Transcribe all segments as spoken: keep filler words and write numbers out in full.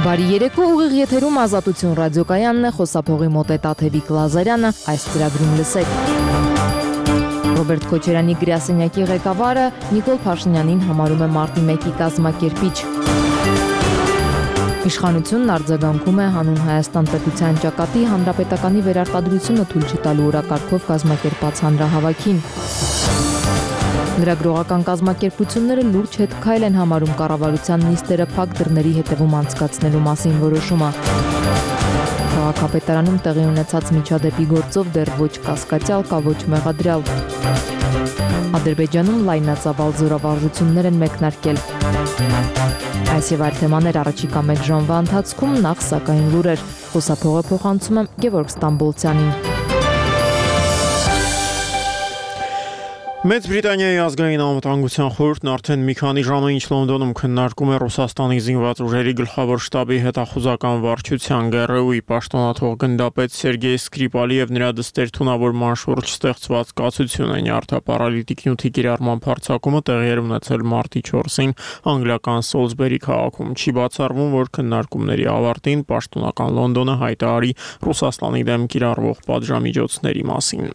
Բարի երեկո, ուղիղ եթերում Ազատություն ռադիոկայանն է, խոսափողի մոտ է Տաթևիկ Լազարյանը, այս ծրագրում լսեք։ Ռոբերտ Քոչարյանի գրասենյակի ղեկավարը Նիկոլ Փաշինյանին համարում է մարտի մեկի կազմակերպիչ։ Իշխանությունն արձագանքում է հանուն Հայաստան պետության ճակատի հանրապետականի վերարտադրությունը թույլ չտալու օրակարգով կազմակերպած հանրահավաքին։ Լրագրողական կազմակերպությունները լուրջ հետքայլ են համարում կառավարության նիստերը փակ դռների հետևում անցկացնելու մասին որոշումը։ Քաղաքապետարանում տեղի ունեցած միջադեպի գործով դեռ ոչ կասկածյալ կա, ոչ մեղադրյալ։ Ադրբեջանում լայնածավալ զորավարժություններ են մեկնարկել։ Այս եւ այլ թեմաներ առաջիկա մեկ ժամվա ընթացքում, նախ սակայն լուրեր։ Խոսափողը փոխանցում եմ Գևորգ Ստամբոլցյանին։ Մեծ Բրիտանիայի ազգային անվտանգության խորհուրդն արդեն մի քանի ժամ է ինչ Լոնդոնում քննարկում է Ռուսաստանի զինված ուժերի գլխավոր շտաբի հետախուզական վարչության Գ R U-ի պաշտոնաթող գնդապետ Սերգեյ Սկրիպալի եւ նրա դստեր թունավորման շուրջ ստեղծված կացությունը նյարդապարալիտիկ նյութի կիրառման փորձակումը տեղի էր ունեցել մարտի չորսին անգլիական Սոլսբերի քաղաքում։ Չի բացառվում, որ քննարկումների ավարտին պաշտոնական Լոնդոնը հայտարարի Ռուսաստանի դեմ կիրառվող պատժամիջոցների մասին։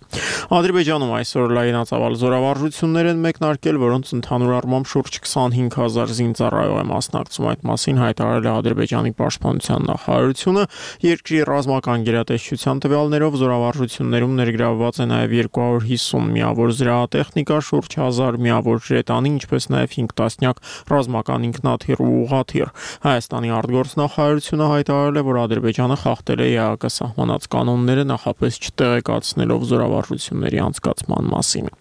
Ադրբեջանում այսօր լայնածավալ զորավարժություններ են մեկնարկել, որոնց ընդհանուր առմամբ շուրջ քսանհինգ հազար զինծառայող է մասնակցում։ Այդ մասին հայտարարել է Ադրբեջանի պաշտպանության նախարարությունը։ Երկրի ռազմական գերատեսչության տվյալներով զորավարժություններում ներգրավված է նաև երկու հարյուր հիսուն միավոր զրահատեխնիկա, շուրջ հազար միավոր ժետանի, ինչպես նաև հինգ տասնյակ ռազմական ինքնաթիռ ու ուղղաթիռ։ Հայաստանի արտգործնախարարությունը հայտարարել է, որ Ադրբեջանը խախտել է Է Հ Կ սահմանած կանոնները, նախապես չտեղեկացնելով զորավարժությունների անցկացման մասին։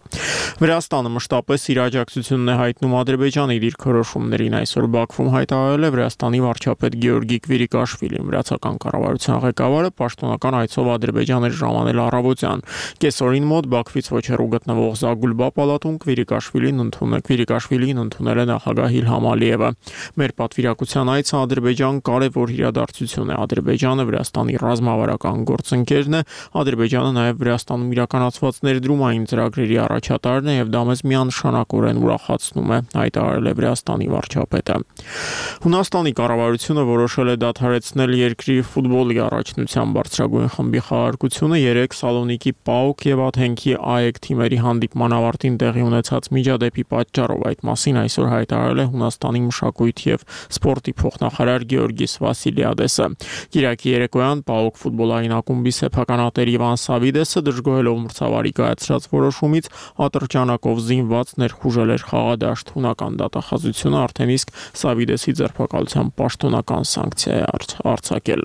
Վրաստանը մշտապես իր աջակցությունն է հայտնում Ադրբեջանի դիրքորոշումներին։ Այսօր Բաքվում հայտարարել է Վրաստանի վարչապետ Գեորգի Կվիրիկաշվիլին։ Վրացական կառավարության ղեկավարը պաշտոնական այցով Ադրբեջան էր ժամանել առավոտյան։ Կեսօրին մոտ Բաքվից ոչ հեռու գտնվող Զագուլբա պալատում Կվիրիկաշվիլին ընդունել Կվիրիկաշվիլին ընդունել է նախագահ Իլհամ Ալիևը։ Մեր պատվիրակության այցը Ադրբեջան կարևոր իրադարձություն է։ Ադրբեջանը Վրաստանի ռազմավարական գործընկերն է։ Ադրբեջանը նաև Վրաստանում իրականացված ներդրումային ծրագրերի առաջատարն է եւ դա մեզ միանշանակորեն ուրախացնում է, հայտարարել է Վրաստանի վարչապետը։ Հունաստանի կառավարությունը որոշել է դադարեցնել երկրի ֆուտբոլի առաջնության բարձրագույն խմբի խաղարկությունը երեք Սալոնիկի ՊԱՕԿ եւ Աթենքի Ա E K թիմերի հանդիպման ավարտին տեղի ունեցած միջադեպի պատճառով։ Այդ մասին այսօր հայտարարել է Հունաստանի մշակույթի եւ սպորտի փոխնախարար Գեորգիս Վասիլիադեսը։ Կիրակի երեկոյան ՊԱՕԿ ֆուտբոլային ակումբի սեփականատեր Իվան Սավիդեսը դժգոհելով մրցավարի կայացրած որոշումից ատրճանակով զինված ներխուժել էր խաղադաշտ։ Հունական դատախազությունը արդեն իսկ Սավիդեսի ձերբակալության պաշտոնական սանկցիա է արձակել։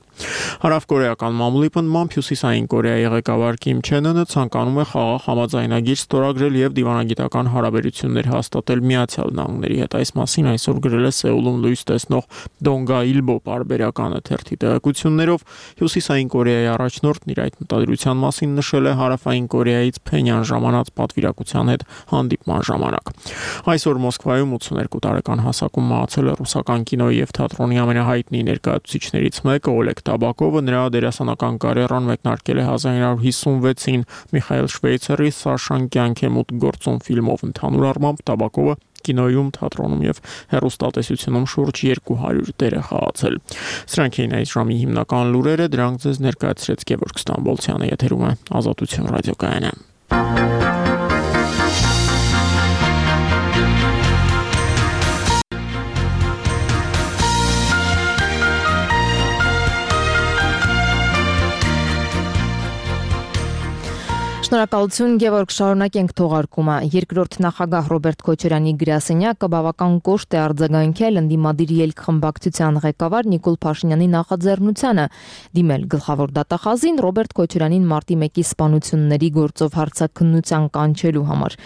Հարավկորեական մամուլի պնդմամբ Հյուսիսային Կորեայի ղեկավար Կիմ Չեն Ընը ցանկանում է խաղաղ համաձայնագիր ստորագրել եւ դիվանագիտական հարաբերություններ հաստատել Միացյալ Նահանգների հետ։ Այս մասին այսօր գրել է Սեուլում լույս տեսնող Դոնգա Իլբո պարբերականը թերթի տեղեկություններով։ Հյուսիսային Կորեայի առաջնորդն իր այդ մտադրության մասին նշել է Հարավային Կորեայից Փենյան ժամանած պատվիրակության հետ հանդիպման ժամանակ։ Այսօր Մոսկվայում ութսուներկու տարեկան հասակում մահացել է ռուսական կինոյի եւ թատրոնի ամենահայտնի ներկայացուցիչներից մեկը Օլեգ Տաբակովը։ Նրա դերասանական կարիերան մեկնարկել է հազար նոր հիսունվեցին Միխայել Շվեյցերի Սաշան կյանք է մուտք գործում ֆիլմով։ Ընդհանուր առմամբ Տաբակովը կինոյում, թատրոնում եւ հեռուստատեսությունում շուրջ երկու հարյուր դեր է խաղացել։ Սրանք էին այս ժամի հիմնական լուրերը, դրանք ձեզ ներկայացրեց Գևորգ Ստամբոլցյանը, եթերում է Ազատություն ռադիոկայանը։ Շնորհակալություն Գևորգ, շարունակենք թողարկումը։ Երկրորդ նախագահ Ռոբերտ Քոչարյանի գրասենյակը բավական կոշտ է արձագանքել ընդդիմադիր ելք խմբակցության ղեկավար Նիկոլ Փաշինյանի նախաձեռնությանը դիմել գլխավոր դատախազին Ռոբերտ Քոչարյանին մարտի մեկի սպանությունների գործով հարցաքննության կանչելու համար։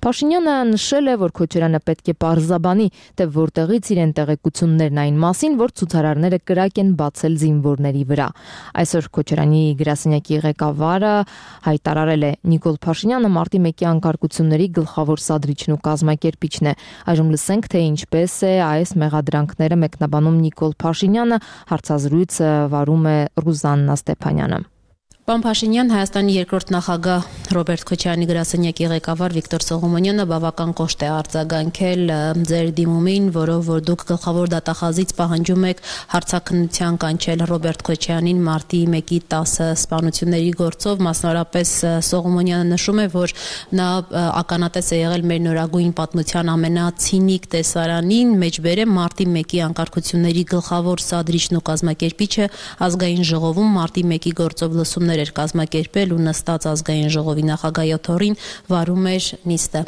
Փաշինյանը նշել է, որ Քոչարյանը պետք է պարզաբանի, թե որտեղից իրեն տեղեկություններն այն մասին, որ ցուցարարները կրակ են բացել զինվորների վրա։ Այսօր Քոչարյանի գրասենյակի ղեկավարը հայտարարել է Նիկոլ Փաշինյանը մարտի մեկի անկարգությունների գլխավոր սադրիչն ու կազմակերպիչն է։ Այժմ լսենք, թե ինչպես է այս մեղադրանքները մեկնաբանում Նիկոլ Փաշինյանը, հարցազրույցը վարում է Ռուզաննա Ստեփանյանը։ Պարոն Փաշինյան, Հայաստանի երկրորդ նախագահ Ռոբերտ Քոչարյանի գրասենյակի ղեկավար Վիկտոր Սողոմոնյանը բավական կոշտ է արձագանքել ձեր դիմումին, որով որ դուք գլխավոր դատախազից պահանջում եք հարցաքննության կանչել Ռոբերտ Քոչարյանին մարտի մեկի տասը սպանությունների գործով, մասնավորապես Սողոմոնյանը նշում է, որ նա ականատես է եղել մեր նորագույն պատմության ամենացինիկ տեսարանին, մեջբերեմ մարտի մեկի անկարգությունների գլխավոր սադրիչն ու կազմակերպիչը ազգային ժողովում մարտի մեկի գործով լսումներ էր կազմակերպել ու նստած ազգային ժողովի նախագահի օթորին վարում էր նիստը։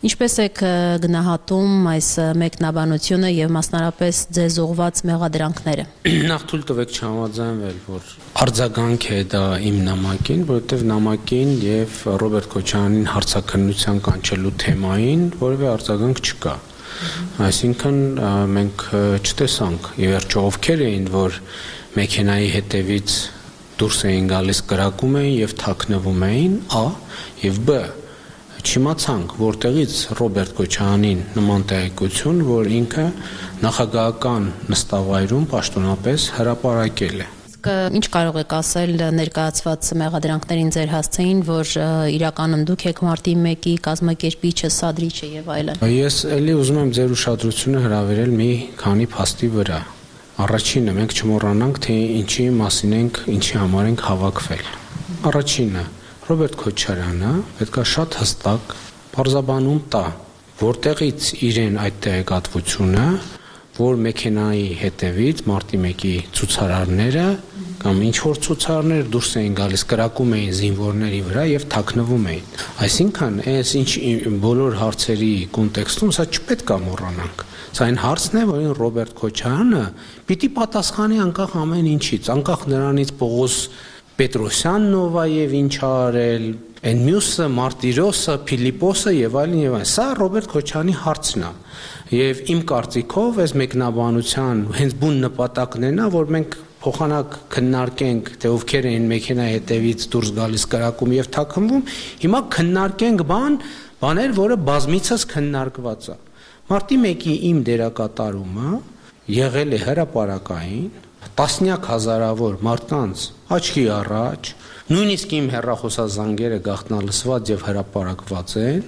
Ինչպես եք գնահատում այս մեկնաբանությունը եւ մասնարապես ձեզ ուղված մեղադրանքները։ Նախ թույլ տվեք չհամաձայնվել, որ արձագանք է դա իմ նամակին, որովհետեւ նամակին եւ Ռոբերտ Քոչարյանին հարցաքննության կանչելու թեմային որևէ արձագանք չկա։ Այսինքն մենք չտեսանք ի վերջո ովքեր էին, որ մեքենայի հետևից դուրս էին գալիս, կրակում էին եւ թաքնվում էին, ա եւ բ չիմացանք որտեղից Ռոբերտ Քոչարյանին նման տեղեկություն, որ ինքը նախագահական նստավայրում պաշտոնապես հրապարակել է։ Իսկ ինչ կարող եք ասել ներկայացված մեղադրանքներին ձեր հասցեին, որ իրականում դուք եք մարտի մեկի կազմակերպիչը, սադրիչը եւ այլն։ Ես ելի ուզում եմ ձեր ուշադրությունը հրավիրել մի քանի փաստի վրա։ Առաջինը մենք չմոռանանք, թե ինչի մասին ենք, ինչի համար ենք հավաքվել։ Առաջինը Ռոբերտ Քոչարյանը պետք է շատ հստակ բարձաբանում տա, որտեղից իրեն այդ տեղեկատվությունը, որ մեքենայի հետևից մարտի մեկի ցուցարարները կամ ինչ որ ցուցարարներ դուրս էին գալիս, կրակում էին զինվորների վրա եւ թաքնվում էին։ Այսինքն, այս ինչ բոլոր հարցերի կոնտեքստում սա չպետք է մոռանանք։ Սա այն հարցն է, որին Ռոբերտ Քոչարյանը պիտի պատասխանի անկախ ամեն ինչից, անկախ նրանից Պողոս Պետրոսյանն ով է եւ ինչ ա արել, այն մյուսը Մարտիրոսը, Փիլիպոսը եւ այլն եւ այլն։ Սա Ռոբերտ Քոչարյանի հարցն է։ Եվ իմ կարծիքով այս մեկնաբանության հենց բուն նպատակն է նա, որ մենք փոխանակ քննարկենք, թե ովքեր են մեքենայի հետևից դուրս գալիս կրակում եւ թաքնվում, հիմա քննարկենք բան, բաներ, որը բազմիցս քննարկված է։ Մարտի մեկի իմ դերակատարումը եղել է հրապարակային, տասնյակ հազարավոր մարդկանց աչքի առաջ, նույնիսկ իմ հեռախոսազանգերը գաղտնալսված եւ հրապարակված են,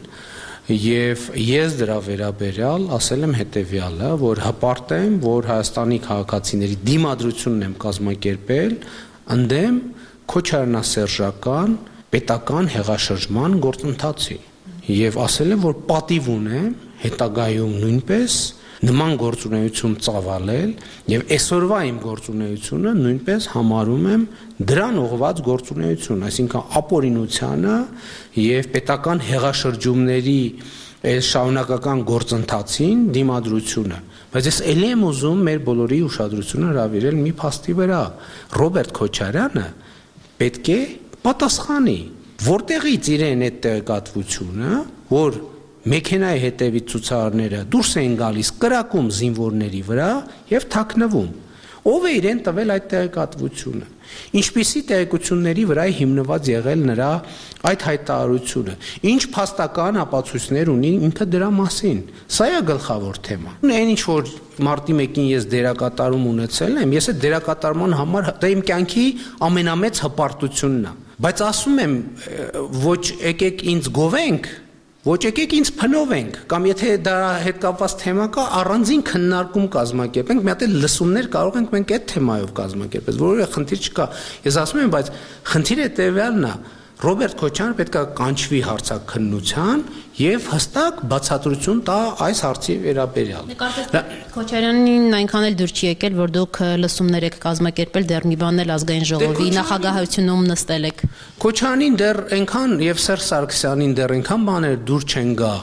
եւ ես դրա վերաբերյալ ասել եմ հետեւյալը, որ հպարտ եմ, որ Հայաստանի քաղաքացիների դիմադրությունն եմ կազմակերպել ընդդեմ քոչարյանասերժական պետական հեղաշրջման գործընթացի եւ ասել եմ, որ պատիվ ունեմ հետագայում նույնպես նման գործունեություն ծավալել եւ այսօրվա իմ գործունեությունը նույնպես համարում եմ դրան ուղղված գործունեություն, այսինքն ապօրինությանը եւ պետական հեղաշրջումների այս շարունակական գործընթացին դիմադրությունը։ Բայց ես ելի եմ ուզում մեր բոլորի ուշադրությունը հրավիրել մի փաստի վրա։ Ռոբերտ Քոչարյանը պետք է պատասխանի, որտեղից իրեն այդ տեղեկատվությունը, որ մեքենայի հետևից ցուցարարները դուրս էին գալիս կրակում զինվորների վրա եւ թաքնվում։ Ով է իրեն տվել այդ տեղեկատվությունը։ Ինչպիսի տեղեկությունների վրա է հիմնված եղել նրա այդ հայտարարությունը։ Ինչ փաստական ապացույցներ ունի ինքը դրա մասին։ Սա է գլխավոր թեման։ Այն ինչ որ մարտի մեկին ես դերակատարում ունեցել եմ, ես այդ դերակատարման համար դա իմ կյանքի ամենամեծ հպարտությունն է։ Բայց ասում եմ, ոչ եկեք ինձ գովենք, ոչ եկեք ինձ փնովենք, կամ եթե դա հետ կապված թեմա կա, առանձին քննարկում կազմակերպենք, մի հատ էլ լսումներ կարող ենք մենք այդ թեմայով կազմակերպել, որովհետեւ խնդիր չկա։ Ես ասում եմ, բայց խնդիրը տևյալն է, Ռոբերտ Քոչարյանը պետք է կանչվի հարցաքննության եւ հստակ բացատրություն տա այս հարցի վերաբերյալ։ Քոչարյանին այնքան էլ դուր չի եկել, որ դուք լսումներ եք կազմակերպել, դեռ մի բան էլ ազգային ժողովի նախագահությունում նստել եք։ Քոչարյանին դեռ այնքան եւ Սերժ Սարգսյանին դեռ այնքան բաներ դուր չեն գա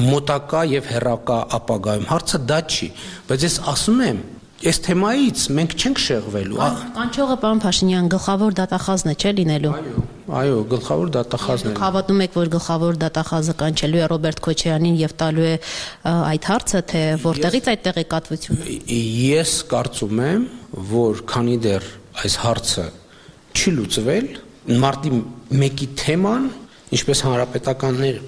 մոտակա եւ հեռակա ապագայում։ Հարցը դա չի, բայց ես ասում եմ, այս թեմայից մենք չենք շեղվելու։ Կանչողը պարոն Փաշինյան գլխավոր դատախազն է, չէ՞ լինելու։ Այո, այո, գլխավոր դատախազն է։ Դուք հավատում եք, որ գլխավոր դատախազը կանչելու է Ռոբերտ Քոչարյանին եւ տալու է այդ հարցը, թե որտեղից այդ տեղեկատվությունը։ Ես կարծում եմ, որ քանի դեռ այս հարցը չի լուծվել, մարտի մեկի թեման, ինչպես հանրապետականներ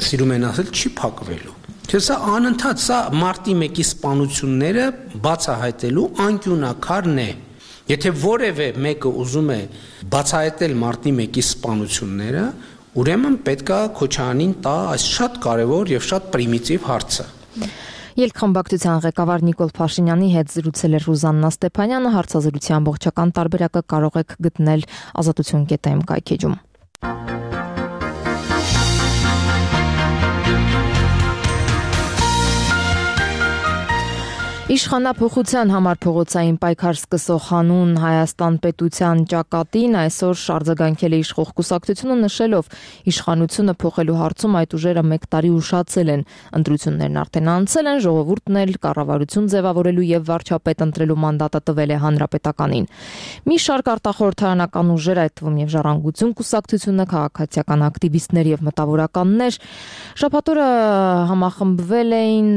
սիրում են ասել, չի փակվելու։ Չէ, սա անընդհատ, սա մարտի մեկի սպանությունները բացահայտելու անկյունակարն է։ Եթե որևէ մեկը ուզում է բացահայտել մարտի մեկի սպանությունները, ուրեմն պետք է Քոչարյանին տա այս շատ կարևոր եւ շատ պրիմիտիվ հարցը։ Ելքխմբակցության ղեկավար Նիկոլ Փաշինյանի հետ զրուցել էր Ռուզաննա Ստեփանյանը, հարցազրույցի ամբողջական տարբերակը կարող եք գտնել ազատություն կետ եմ կայքեջում։ Իշխանափոխության համար փողոցային պայքար սկսող հանուն Հայաստան պետության ճակատին այսօր արձագանքել է իշխող կուսակցությունը, նշելով իշխանությունը փոխելու հարցում այդ ուժերը մեկ տարի ուշացել են, ընտրություններն արդեն անցել են, ժողովուրդն էլ կառավարություն ձևավորելու եւ վարչապետ ընտրելու մանդատը տվել է հանրապետականին։ Մի շարք արտախորհրդարանական ուժեր, այդ թվում եւ Ժառանգություն կուսակցությունը, քաղաքացիական ակտիվիստներ եւ մտավորականներ շաբաթօրը համախմբվել էին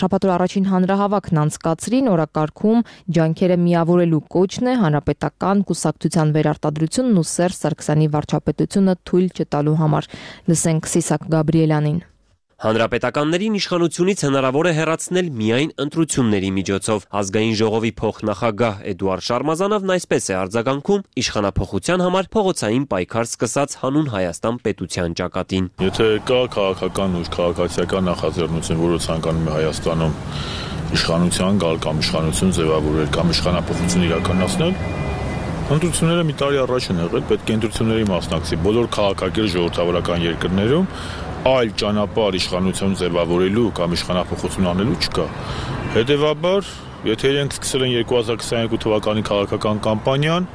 շաբաթօր առաջին հանրահավաք անցկացրին, օրակարգում ջանքերը միավորելու կոչն է հանրապետական կուսակցության վերարտադրությունն ու Սերժ Սարգսյանի վարչապետությունը թույլ չտալու համար։ Լսենք Սիսակ Գաբրիելյանին։ Հանրապետականներին իշխանությունից հնարավոր է հեռացնել միայն ընտրությունների միջոցով։ Ազգային ժողովի փոխնախագահ Էդուարդ Շարմազանովն այսպես է արձագանքում իշխանափոխության համար փողոցային պայքար սկսած հանուն Հայաստան պետության ճակատին։ Եթե կա քաղաքական ուժ, քաղաքացիական նախաձեռնություն, որը ցանկանում է Հայաստանում իշխանության գալ կամ իշխանություն ձևավորել կամ իշխանափոխություն իրականացնել, ընտրությունները մի տարի առաջ են եղել, պետք է ընտրությունների մասնակցի բոլոր քաղաքակիրթ ժողովրդավարական երկրներում այլ ճանապարհ իշխանություն ձևավորելու կամ իշխանափոխություն անելու չկա։ Հետևաբար, եթե իրենք սկսել են երկու հազար քսաներկու թվականի քաղաքական կամպանիան,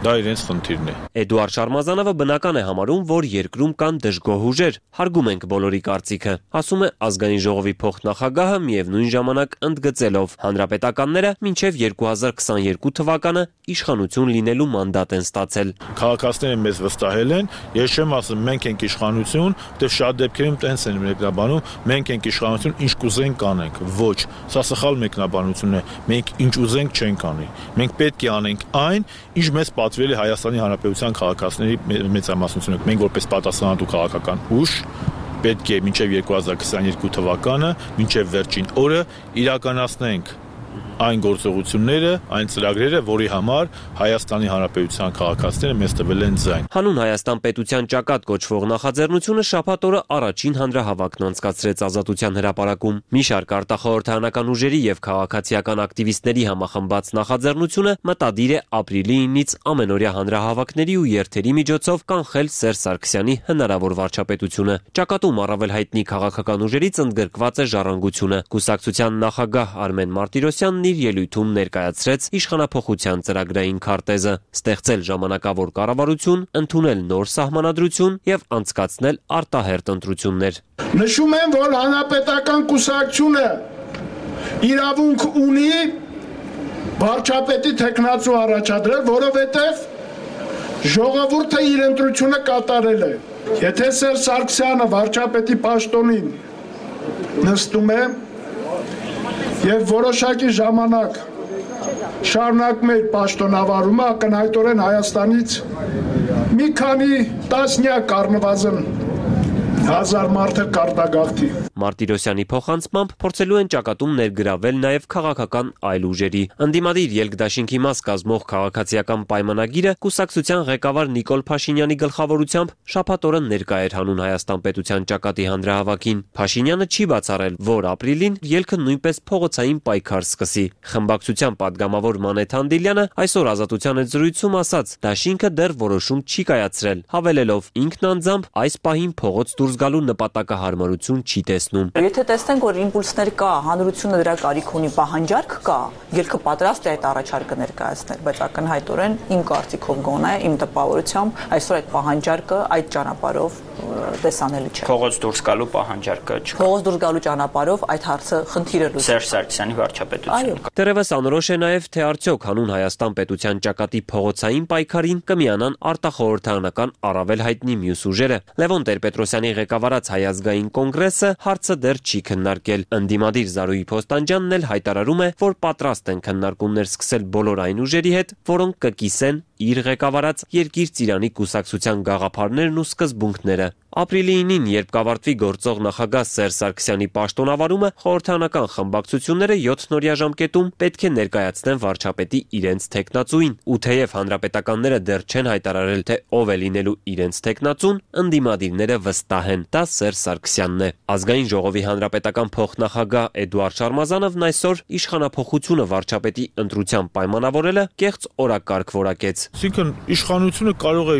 դա իրենց խնդիրն է։ Էդուարդ Շարմազանովը բնական է համարում, որ երկրում կան դժգոհ ուժեր, հարգում ենք բոլորի կարծիքը, ասում է ազգային ժողովի փոխնախագահը, միևնույն ժամանակ ընդգծելով հանրապետականները մինչև երկու հազար քսաներկու թվականը իշխանություն լինելու մանդատ են ստացել։ Քաղաքացիները մեզ վստահել են, ես չեմ ասում մենք ենք իշխանություն, որտեղ շատ դեպքերում տենց են մեկնաբանում, մենք ենք իշխանություն, ինչ կուզենք կանենք։ Ոչ, սա սխալ մեկնաբանություն է։ Մենք ինչ ուզենք չենք անի։ Մենք պետք է անենք այն, ինչ մեզ պատվիրել է Հայաստանի Հանրապետության քաղաքացիների մեծամասնությունը։ Մենք որպես պատասխանատու քաղաքական ուժ պետք է մինչև երկու հազար քսաներկու թվականը, մինչև վերջին օրը իրականացնենք այն գործողությունները, այն ծրագրերը, որի համար Հայաստանի Հանրապետության քաղաքացիները մեզ տվել են ձայն։ Հանուն Հայաստան պետության ճակատ կոչվող նախաձեռնությունը շաբաթ օրը առաջին հանրահավաքն անցկացրեց Ազատության հրապարակում։ Մի շարք արտախորհրդարանական ուժերի եւ քաղաքացիական ակտիվիստների համախմբած նախաձեռնությունը մտադիր է ապրիլի իննից ամենօրյա հանրահավաքների ու երթերի միջոցով կանխել Սերժ Սարգսյանի հնարավոր վարչապետությունը։ Ճակատում առավել հայտնի քաղաքական ուժերից ընդգրկված է Ժառանգությունը։ Կուսակցության նախագահ Արմեն Մարտիրոսյանն իր ելույթում ներկայացրեց իշխանափոխության ծրագրային քարտեզը, ստեղծել ժամանակավոր կառավարություն, ընդունել նոր սահմանադրություն եւ անցկացնել արտահերթ ընտրություններ։ Նշում եմ, որ հանրապետական կուսակցությունը իրավունք ունի վարչապետի թեկնածու առաջադրել, որովհետեւ ժողովուրդը իր ընտրությունը կատարել է։ Եթե Սերժ Սարգսյանը վարչապետի պաշտոնին նստում է եւ որոշակի ժամանակ շարունակում է պաշտոնավարումը, ակնհայտորեն Հայաստանից մի քանի տասնյակ առնվազն հազար մարդը կարտագաղթի։ Մարտիրոսյանի փոխանցմամբ փորձելու են ճակատում ներգրավել նաև քաղաքական այլ ուժերի։ Ընդդիմադիր ելքդաշինքի մաս կազմող քաղաքացիական պայմանագիրը կուսակցության ղեկավար Նիկոլ Փաշինյանի գլխավորությամբ շաբաթ օրը ներկա էր հանուն Հայաստան պետության ճակատի հանրահավաքին։ Փաշինյանը չի բացառել, որ ապրիլին ելքը նույնպես փողոցային պայքար սկսի։ Խմբակցության падգամավոր Մանեթ Հանդիլյանը այսօր Ազատության հետ զրույցում ասաց, դաշինքը դեռ որոշում չի կայացրել, հավելելով ինքն անձամբ այս պահին փողոց դուրս գալու նպատակահարմարություն չի տեսնում։ Եթե տեսնենք, որ իմպուլսներ կա, հանրությունը դրա կարիք ունի, պահանջարկ կա, ելքը պատրաստ է այդ առաջարկը ներկայացնել, բայց ակնհայտորեն իմ կարծիքով գոնե, իմ տպավորությամբ այսօր այդ պահանջարկը այդ ճանապարհով տեսանելի չէ։ Փողոց դուրս գալու պահանջարկը չէ։ Փողոց դուրս գալու ճանապարհով այդ հարցը խնդիրը լուծել։ Սերժ Սարգսյանի վարչապետությունը։ Դեռևս անորոշ է նաև թե արդյոք հանուն Հայաստան պետության ճակատի փողոցային պայքարին կմիանան արտախորհրդարանական առավել հայտնի մյուս ուժերը։ Լևոն Տեր-Պետրոսյանի ղեկավարած Հայ ազգային կոնգրեսը հարցը դեռ չի քննարկել։ Ընդդիմադիր Զարուհի Փոստանջյանն էլ հայտարարում է, որ պատրաստ են քննարկումներ սկսել բոլոր այն ուժերի հետ, որոնք կկիսեն իր ղեկավարած Երկիր Ծիրանի կուսակցության գաղափարներն ու սկզբունքները։ Ապրիլի ինին, երբ կավարտվի գործող նախագահ Սերժ Սարգսյանի պաշտոնավարումը, խորհրդարանական խմբակցությունները յոթ-նորյա ժամկետում պետք է ներկայացնեն վարչապետի իրենց թեկնածուին, ու թեև հանրապետականները դեռ չեն հայտարարել, թե ով է լինելու իրենց թեկնածուն, ընդդիմադիրները վստահ են, դա Սերժ Սարգսյանն է։ Ազգային ժողովի հանրապետական փոխնախագահ Էդուարդ Շարմազանովն այսօր իշխանափոխությունը վարչապետի ընտրությամբ պայմանավորելը կեղծ օրակարգ որակեց։ Այսինքն իշխանությունը կարող է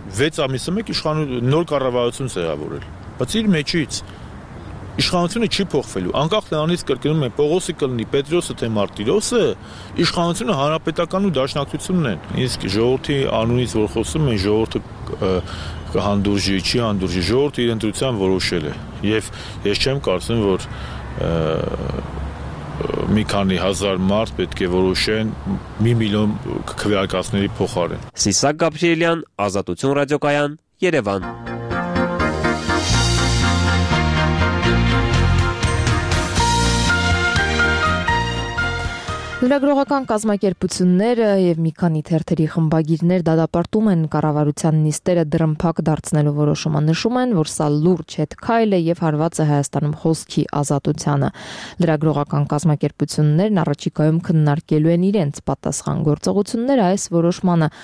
վեց ամիսը մեկ իշխանություն նոր կառավարություն ձևավորել, բայց իր մեջից իշխանությունը չի փոխվելու, անկախ նրանից կրկնում են Պողոսը կլինի, Պետրոսը թե Մարտիրոսը, իշխանությունը հանրապետական ու դաշնակցությունն են։ Իսկ ժողովրդի անունից որ խոսում են, ժողովուրդը կհանդուրժի, չի հանդուրժի, ժողովուրդը իր ընտրությամբ որոշել է, եւ ես չեմ կարծում, որ մի քանի հազար մարդ պետք է որոշեն մի միլիոն քվեարկածների փոխարեն։ Սիսակ Գաբրիելյան, Ազատություն ռադիոկայան, Երևան։ Լրագրողական կազմակերպությունները եւ մի քանի թերթերի խմբագիրներ դատապարտում են կառավարության նիստերը դրամփակ դարձնելու որոշումը, նշում են, որ սա լուրջ հետքայլ է եւ հարված է Հայաստանում խոսքի ազատությանը։ Լրագրողական կազմակերպություններն առաջիկայում քննարկելու են իրենց պատասխան գործողությունները այս որոշմանը,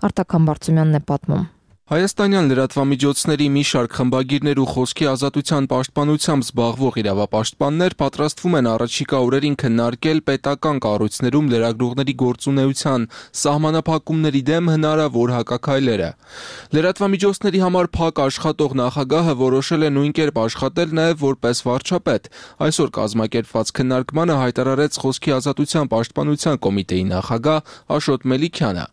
Արտակ Համբարձումյանն է պատմում։ Հայաստանյան լրատվամիջոցների մի շարք խմբագիրներ ու խոսքի ազատության պաշտպանությամբ զբաղվող իրավապաշտպաններ պատրաստվում են առաջիկա օրերին քննարկել պետական կառույցներում լրագրողների գործունեության սահմանափակումների դեմ հնարավոր հակաքայլերը։ Լրատվամիջոցների համար փակ աշխատող նախագահը որոշել է նույն կերպ աշխատել նաև որպես վարչապետ։ Այսօր կազմակերպված քննարկմանը հայտարարեց խոսքի ազատության պաշտպանության կոմիտեի նախագահ Աշոտ Մելիքյանը։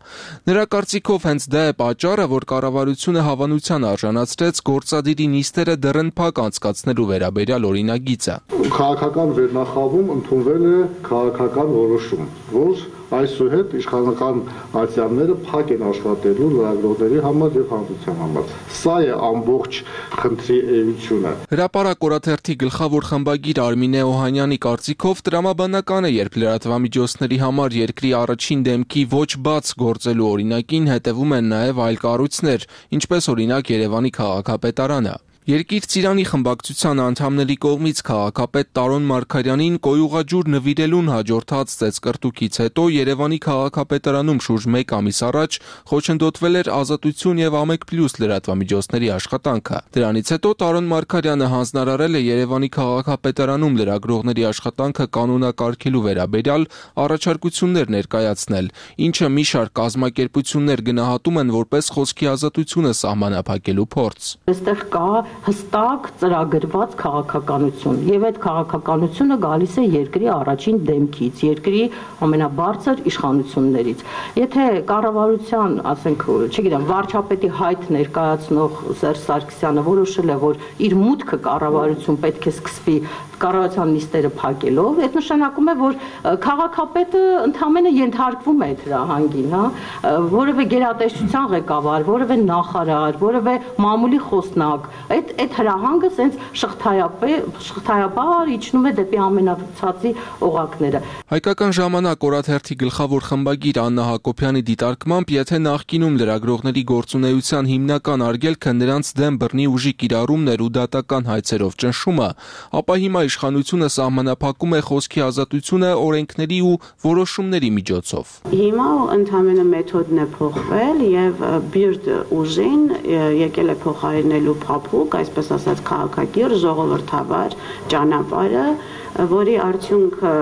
Նրա կարծիքով հենց դա է պատճառը, որ կառավարությունը հավանության արժանացրեց գործադիրի նիստերը դռնփակ անցկացնելու վերաբերյալ օրինագիծը։ Քաղաքական վերնախավում ընդունվել է քաղաքական որոշում, որ այսուհետ իշխանական ատյանները փակ են աշխատելու լրագրողների համար եւ հանրության համար։ Սա է ամբողջ խնդրի էությունը։ Հրապարակ օրաթերթի գլխավոր խմբագիր Արմինե Օհանյանի կարծիքով տրամաբանական է, երբ լրատվամիջոցների համար երկրի առաջին դեմքի ոչ բաց գործելու օրինակին հետևում են նաև այլ կառույցներ, ինչպես օրինակ Երևանի քաղաքապետարանը։ Երկիր ծիրանի խմբակցության անդամների կողմից քաղաքապետ Տարոն Մարգարյանին կոյուղաջուր նվիրելուն հաջորդած ծեծկռտուքից հետո Երևանի քաղաքապետարանում շուրջ մեկ ամիս առաջ խոչընդոտվել էր Ազատություն եւ Ամեկ Պլյուս լրատվամիջոցների աշխատանքը։ Դրանից հետո Տարոն Մարգարյանը հանձնարարել է Երևանի քաղաքապետարանում լրագրողների աշխատանքը կանոնակարգելու վերաբերյալ առաջարկություններ ներկայացնել, ինչը մի շարք կազմակերպություններ գնահատում են որպես խոսքի ազատությունը սահմանափակելու փորձ։ Այստեղ կա հստակ ծրագրված քաղաքականություն եւ այդ քաղաքականությունը գալիս է երկրի առաջին դեմքից, երկրի ամենաբարձր իշխանություններից։ Եթե կառավարության, ասենք, չգիտեմ, վարչապետի հայտ ներկայացնող Սերժ Սարգսյանը որոշել է, որ իր մուտքը կառավարություն պետք է սկսվի կառավարության նիստերը փակելով, այդ նշանակում է, որ քաղաքապետը ընդհանրապես ենթարկվում է այդ հրահանգին, հա, որևէ գերատեսչության ղեկավար, որևէ նախարար, որևէ մամուլի խոսնակ, այդ այդ հրահանգը սենց շղթայաբար իջնում է դեպի ամենացածի օղակները։ Հայկական ժամանակ օրաթերթի գլխավոր խմբագիր Աննա Հակոբյանի դիտարկմամբ, եթե նախկինում լրագրողների գործունեության հիմնական արգելքը նրանց դեմ բռնի ուժի կիրառումներ ու դատական հայցերով ճնշումը, ապա հիմա իշխանությունը սահմանափակում է խոսքի ազատությունը օրենքների ու որոշումների միջոցով։ Հիմա ընդհանրապես մեթոդն է փոխվել եւ բիրդ ուժին եկել է փոխարինելու փափուկ, այսպես ասած քաղաքակիր ժողովրդավար ճանապարհը, որի արդյունքը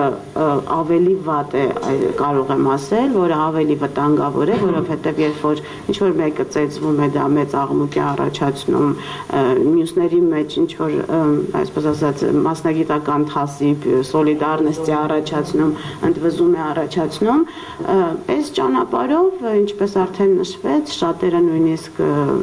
ավելի վատ է, կարող եմ ասել, որը ավելի վտանգավոր է, որովհետև երբ որ ինչ-որ մեկը ծեծվում է, դա մեծ աղմուկ է առաջացնում, մյուսների մեջ ինչ-որ, այսպես ասած, մասնագիտական թասիբ, սոլիդարնեստ է առաջացնում, ընդվզում է առաջացնում, այս ճանապարհով, ինչպես արդեն նշվեց, շատերը նույնիսկ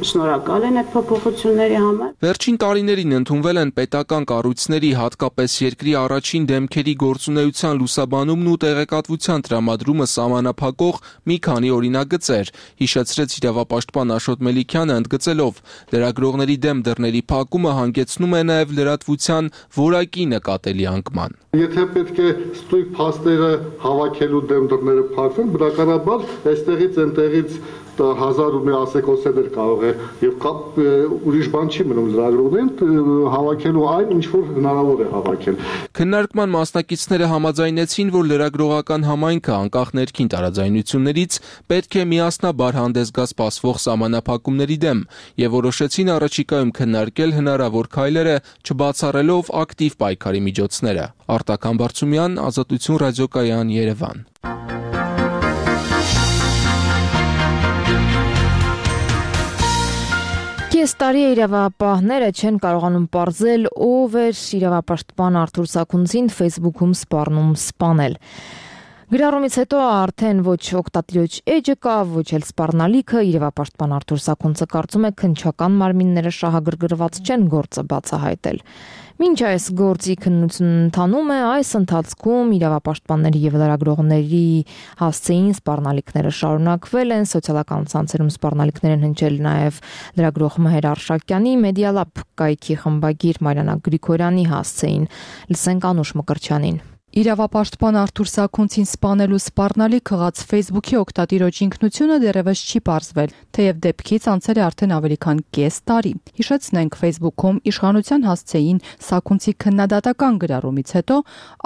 շնորհակալ են այդ փոփոխությունների համար։ Վերջին տարիներին ընդունվել են պետական կառույցների, հատկապես երկրի առաջին դեմքերի գործունեության լուսաբանումն ու տեղեկատվության տրամադրումը սահմանափակող մի քանի օրինագծեր, հիշեցրեց իրավապաշտպան Աշոտ Մելիքյանը ընդգծելով. լրագրողների դեմ դռների փակումը հանգեցնում է նաև լրատվության որակի նկատելի անկման։ Եթե պետք է ստույգ փաստերը հավաքելու դեմ դռները փակվեն, բնականաբար այստեղից այնտեղից հազար ու մի ասեկոսեներ կարող է եւ ուրիշ բան չի մնում լրագրողներին հավաքելու այն, ինչ որ հնարավոր է հավաքել։ Քննարկման մասնակիցները համաձայնեցին, որ լրագրողական համայնքը անկախ ներքին տարաձայնություններից պետք է միասնաբար հանդես գա սպասվող սահմանափակումների դեմ եւ որոշեցին առաջիկայում քննարկել հնարավոր քայլերը, չբացառելով ակտիվ պայքարի միջոցները։ Արտակ Համբարձումյան, Ազատություն ռադիոկայան, Երևան։ Կես տարի է իրավապահները չեն կարողանում պարզել, ով էր իրավապաշտպան Արթուր Սաքունցին Facebook-ում սպառնում սպանել։ Գրառումից հետո արդեն ոչ օգտատիրոջ էջը կա, ոչ էլ սպառնալիքը, իրավապաշտպան Արթուր Սաքունցը կարծում է քննչական մարմինները շահագրգռված չեն գործը բացահայտել։ Մինչ այս գործի քննությունն ընթանում է, այս ընթացքում իրավապաշտպանների եւ լրագրողների հասցեին սպառնալիքները շարունակվել են, սոցիալական ցանցերում սպառնալիքներ են հնչել նաեւ լրագրող Մհեր Արշակյանի, Մեդիալաբ կայքի խմբագիր Մարիանա Գրիգորյանի հասցեին։ Լսենք Անուշ Մկրտչյանին։ Իրավապաշտպան Արթուր Սաքունցին սպանելու սպառնալիք խղած Facebook-ի օգտատիրոջ ինքնությունը դեռևս չի պարզվել, թեև դեպքից անցել է արդեն ավելի քան կես տարի։ Հիշեցնենք, Facebook-ում իշխանության հասցեին Սաքունցի քննադատական գրառումից հետո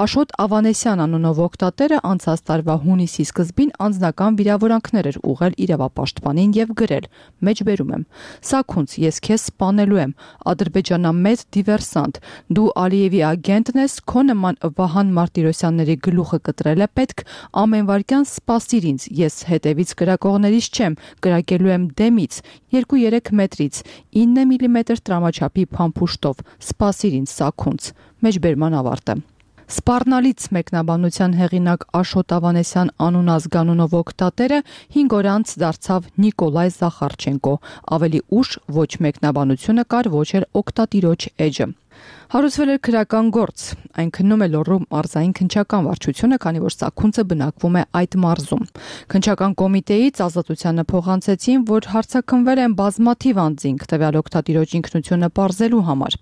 Աշոտ Ավանեսյան անունով օգտատերը անցած տարվա հունիսի սկզբին անձնական վիրավորանքներ էր ուղղել իրավապաշտպանին եւ գրել. Մեջբերում եմ. Սաքունց, ես քեզ սպանելու եմ, ադրբեջանամետ դիվերսանտ, դու Ալիևի ագենտն ես, քո նման Վահան Մարտիրոսյանների գլուխը կտրել է պետք, ամեն վարքյան սպասիր ինձ, ես հետևից կրակողներից չեմ, կրակելու եմ դեմից, երկու երեք մետրից, ինը միլիմետր տրամաչափի փամփուշտով, սպասիր ինձ Սաքունց, մեջբերման ավարտը։ Սպառնալից մեկնաբանության հեղինակ Աշոտ Ավանեսյան անուն ազգանունով օգտատերը հինգ օր անց դարձավ Նիկոլայ Զախարչենկո, ավելի ուշ ոչ մեկնաբանությունը կար, ոչ էլ օգտատիրոջ էջը։ Հարուցվել էր քրական գործ, այն քննում է Լոռու մարզային քննչական վարչությունը, քանի որ Սաքունցը բնակվում է այդ մարզում։ Քննչական կոմիտեից Ազատությանը փոխանցեցին, որ հարցաքննվել են բազմաթիվ անձինք տվյալ օգտատիրոջ ինքնությունը պարզելու համար։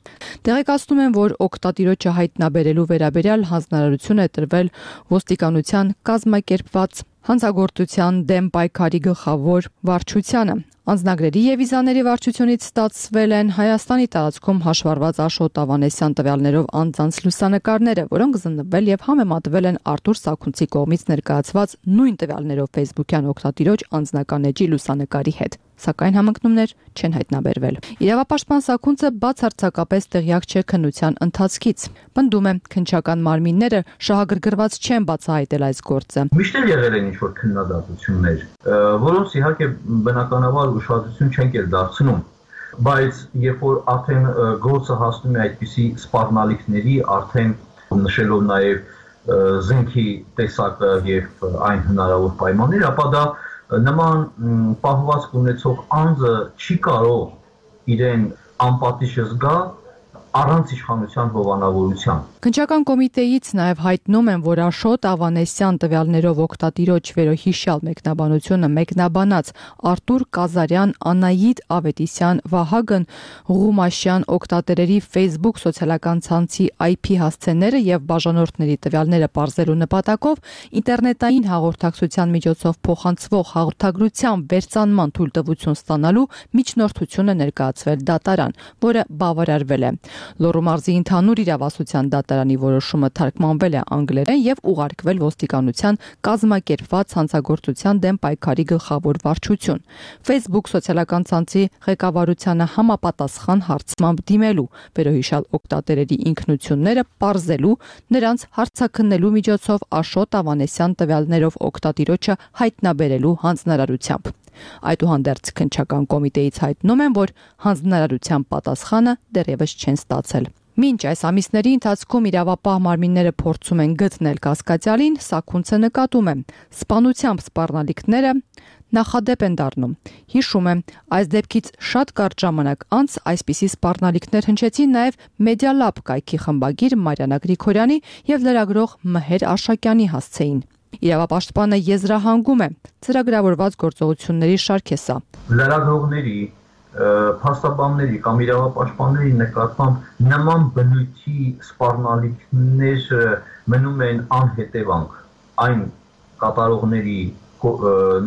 Տեղեկացնում են, որ օգտատիրոջը հայտնաբերելու վերաբերյալ հանձնարարություն է տրվել ոստիկանության կազմակերպված հանցագործության դեմ պայքարի գլխավոր վարչությանը։ Անձնագրերի եւ վիզաների վարչությունից ստացվել են Հայաստանի տարածքում հաշվառված Աշոտ Ավանեսյան տվյալներով անձանց լուսանկարները, որոնք զննվել եւ համեմատվել են Արթուր Սաքունցի կողմից ներկայացված նույն տվյալներով Facebook-յան օգտատիրոջ անձնական էջի լուսանկարի հետ, սակայն համընկնումներ չեն հայտնաբերվել։ Իրավապաշտպան Սաքունցը բացարձակապես տեղյակ չէ քննության ընթացքից։ Պնդում է, քննչական մարմինները շահագրգռված չեն բացահայտել այս գործը։ Միշտ էլ եղել են ինչ-որ քննադատություններ, որոնց իհարկե բնականաբար ուշադրություն չենք էլ դարձնում, բայց երբ որ արդեն գործը հասնում է այդպիսի սպառնալիքների, արդեն նշելով նաև զենքի տեսակը եւ այն հնարավոր պայմանները, ապա դա նման պահվածք ունեցող անձը չի կարող իրեն անպատիժ զգա առանց իշխանության հովանավորության։ Քննչական կոմիտեից նաև հայտնում են, որ Աշոտ Ավանեսյան տվյալներով օգտատիրոջ վերոհիշյալ մեկնաբանությունը մեկնաբանած Արտուր Կազարյան, Անահիտ Ավետիսյան, Վահագն Ղումաշյան օգտատերերի Facebook սոցիալական ցանցի այ փի հասցեները եւ բաժանորդների տվյալները պարզելու նպատակով ինտերնետային հաղորդակցության միջոցով փոխանցվող հաղորդագրության վերցանման թույլտվություն ստանալու միջնորդություն է ներկայացվել դատարան, որը բավարարվել է։ Լոռու մարզի ընդհանուր իրավասության դատարանի որոշումը թարգմանվել է անգլերեն եւ ուղարկվել ոստիկանության կազմակերպված հանցագործության դեմ պայքարի գլխավոր վարչություն։ Facebook սոցիալական ցանցի ղեկավարությանը համապատասխան հարցմամբ դիմելու, վերոհիշյալ օգտատերերի ինքնությունները պարզելու, նրանց հարցաքննելու միջոցով Աշոտ Ավանեսյան տվյալներով օգտատիրոջը հայտնաբերելու հանձնարարությամբ։ Այդուհանդերձ քննչական կոմիտեից հայտնում են, որ հանձնարարության պատասխանը դեռևս չեն ստացել։ Մինչ այս ամիսների ընթացքում իրավապահ մարմինները փորձում են գտնել կասկածյալին, Սաքունցը նկատում է սպանությամբ սպառնալիքները նախադեպ են դառնում։ Հիշում եմ, այս դեպքից շատ կարճ ժամանակ անց այսպիսի սպառնալիքներ հնչեցին նաև Media Lab կայքի խմբագիր Մարիաննա Գրիգորյանի եւ լրագրող Մհեր Արշակյանի հասցեին։ Իրավապաշտպանը եզրահանգում է, ծրագրավորված գործողությունների շարք է սա։ Լրագրողների, փաստաբանների կամ իրավապաշտպանների նկատմամբ նման բնույթի սպառնալիքներ մնում են անհետևանք այն կատարողների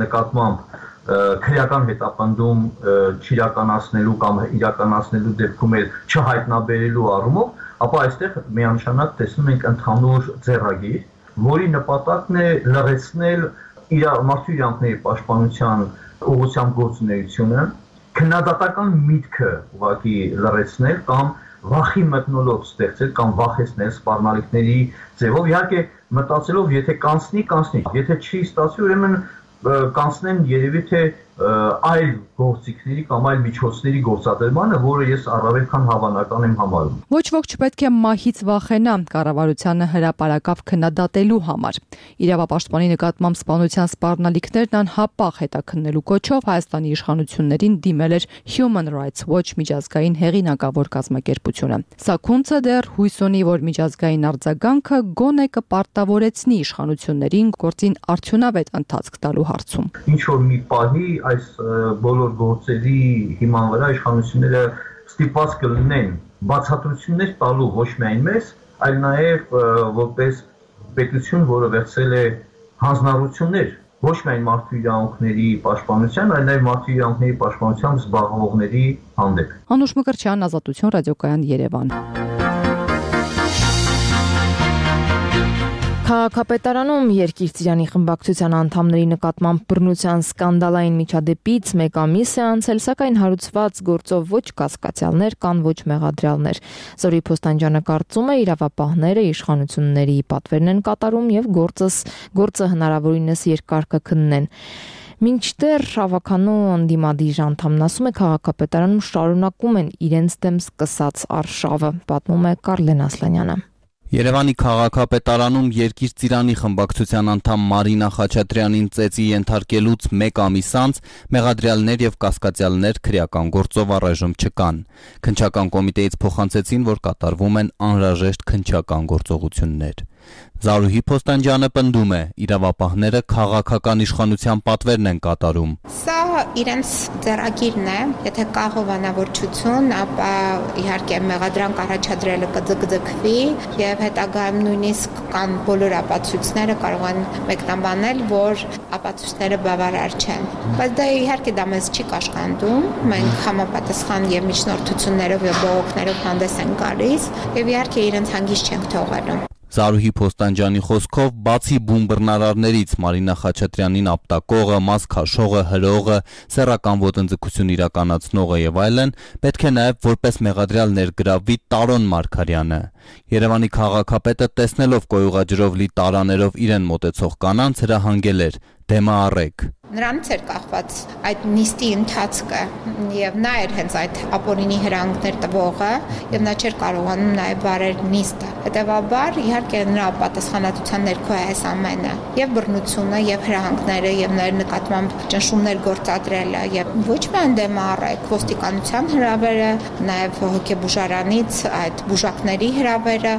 նկատմամբ քրեական հետապնդում չիրականացնելու կամ իրականացնելու դեպքում էլ չհայտնաբերելու առումով, ապա այստեղ միանշանակ տեսնում ենք ընդհանուր ձեռագիր, որի նպատակն է լրացնել մարդու իրավունքների պաշտպանության ուղղությամբ գործունեությունը, քննադատական միտքը ուղղակի լրացնել կամ վախի մթնոլորտ ստեղծել կամ վախեցնել սպառնալիքների ձևով, իհարկե մտածելով, եթե կանցնի, կանցնի, եթե չի ստացվի, ուրեմն կանցնեն երևի թե այլ գործիքների կամ այլ միջոցների գործադրմանը, որը ես առավել քան հավանական եմ համարում։ Ոչ ոք չպետք է մահից վախենա կառավարությանը հրապարակավ քննադատելու համար։ Իրավապաշտպանի նկատմամբ սպանության սպառնալիքներն անհապաղ հետաքննելու կոչով Հայաստանի իշխանություններին դիմել էր Human Rights Watch միջազգային հեղինակավոր կազմակերպությունը։ Սակունցը դեռ հույս ունի, որ միջազգային արձագանքը գոնե կպարտավորեցնի իշխանություններին գործին արդյունավետ ընթացք տալու հարցում։ Ինչ որ մի պահի այս բոլոր գործերի հիման վրա իշխանությունները ստիպված կլինեն բացատրություններ տալու ոչ միայն մեզ, այլ նաև որպես պետություն, որը վերցրել է հանձնառություններ ոչ միայն մարդու իրավունքների պաշտպանության, այլ նաև մարդու իրավունքների պաշտպանությամբ զբաղվողների հանդեպ։ Անուշ Մկրտչյան, Ազատություն ռադիոկայան, Երևան։ Քաղաքապետարանում Երկիր ծիրանի խմբակցության անդամների նկատմամբ բռնության սկանդալային միջադեպից մեկ ամիս է անցել, սակայն հարուցված գործով ոչ կասկածյալներ կան, ոչ մեղադրյալներ։ Զորի Փոստանջյանը կարծում է, իրավապահները իշխանությունների պատվերն են կատարում եւ գործս գործը հնարավորինս երկար կքննեն։ Մինչդեռ ավականու անդիմադիր անդամն ասում է, քաղաքապետարանում շարունակում են իրենց դեմ սկսած արշավը, պատմում է Կարլեն Ասլանյանը։ Երևանի քաղաքապետարանում Երկիր ծիրանի խմբակցության անդամ Մարինա Խաչատրյանին ծեծի ենթարկելուց մեկ ամիս անց մեղադրյալներ եւ կասկածյալներ քրեական գործով առայժմ չկան։ Քննչական կոմիտեից փոխանցեցին, որ կատարվում են անհրաժեշտ քննչական գործողություններ։ Զարուհի Փոստանջյանը պնդում է, իրավապահները քաղաքական իշխանության պատվերն են կատարում։ Սա իրենց ձեռագիրն է, եթե կա հովանավորչություն, ապա իհարկե մեղադրանք առաջադրելը կձգձգվի եւ հետագայում նույնիսկ կան բոլոր ապացույցները կարող են մեկնաբանել, որ ապացույցները բավարար չեն։ Բայց դա իհարկե դա մեզ չի կաշկանդում, մենք համապատասխան եւ միջնորդություններով եւ բողոքներով հանդես ենք գալիս եւ իհարկե իրենց հանգիստ չենք թողնում։ Զարուհի Փոստանջյանի խոսքով, բացի բուն բռնարարներից Մարինա Խաչատրյանին ապտակողը, մաս քաշողը, հրողը, սեռական ոտնձգություն իրականացնողը եւ այլն, պետք է նաեւ որպես մեղադրյալ ներգրավվի Տարոն Մարգարյանը։ Երևանի քաղաքապետը տեսնելով կոյուղաջրով լի տարաներով իրեն մոտեցող կանանց հրահանգել էր. դեմը առեք։ Նրանց էր կախված այդ նիստի ընթացքը եւ նա էր հենց այդ ապօրինի հրահանգներ տվողը եւ նա չէր կարողանում նաեւ վարել նիստը։ Հետեւաբար իհարկե նրա պատասխանատվության ներքո է այս ամենը եւ բռնությունը եւ հրահանգները եւ նրա նկատմամբ ճնշումներ գործադրելը եւ ոչ միայն դեմը առեք, ոստիկանության հրավերը, նաեւ հոգեբուժարանից այդ բուժակների հրավերը։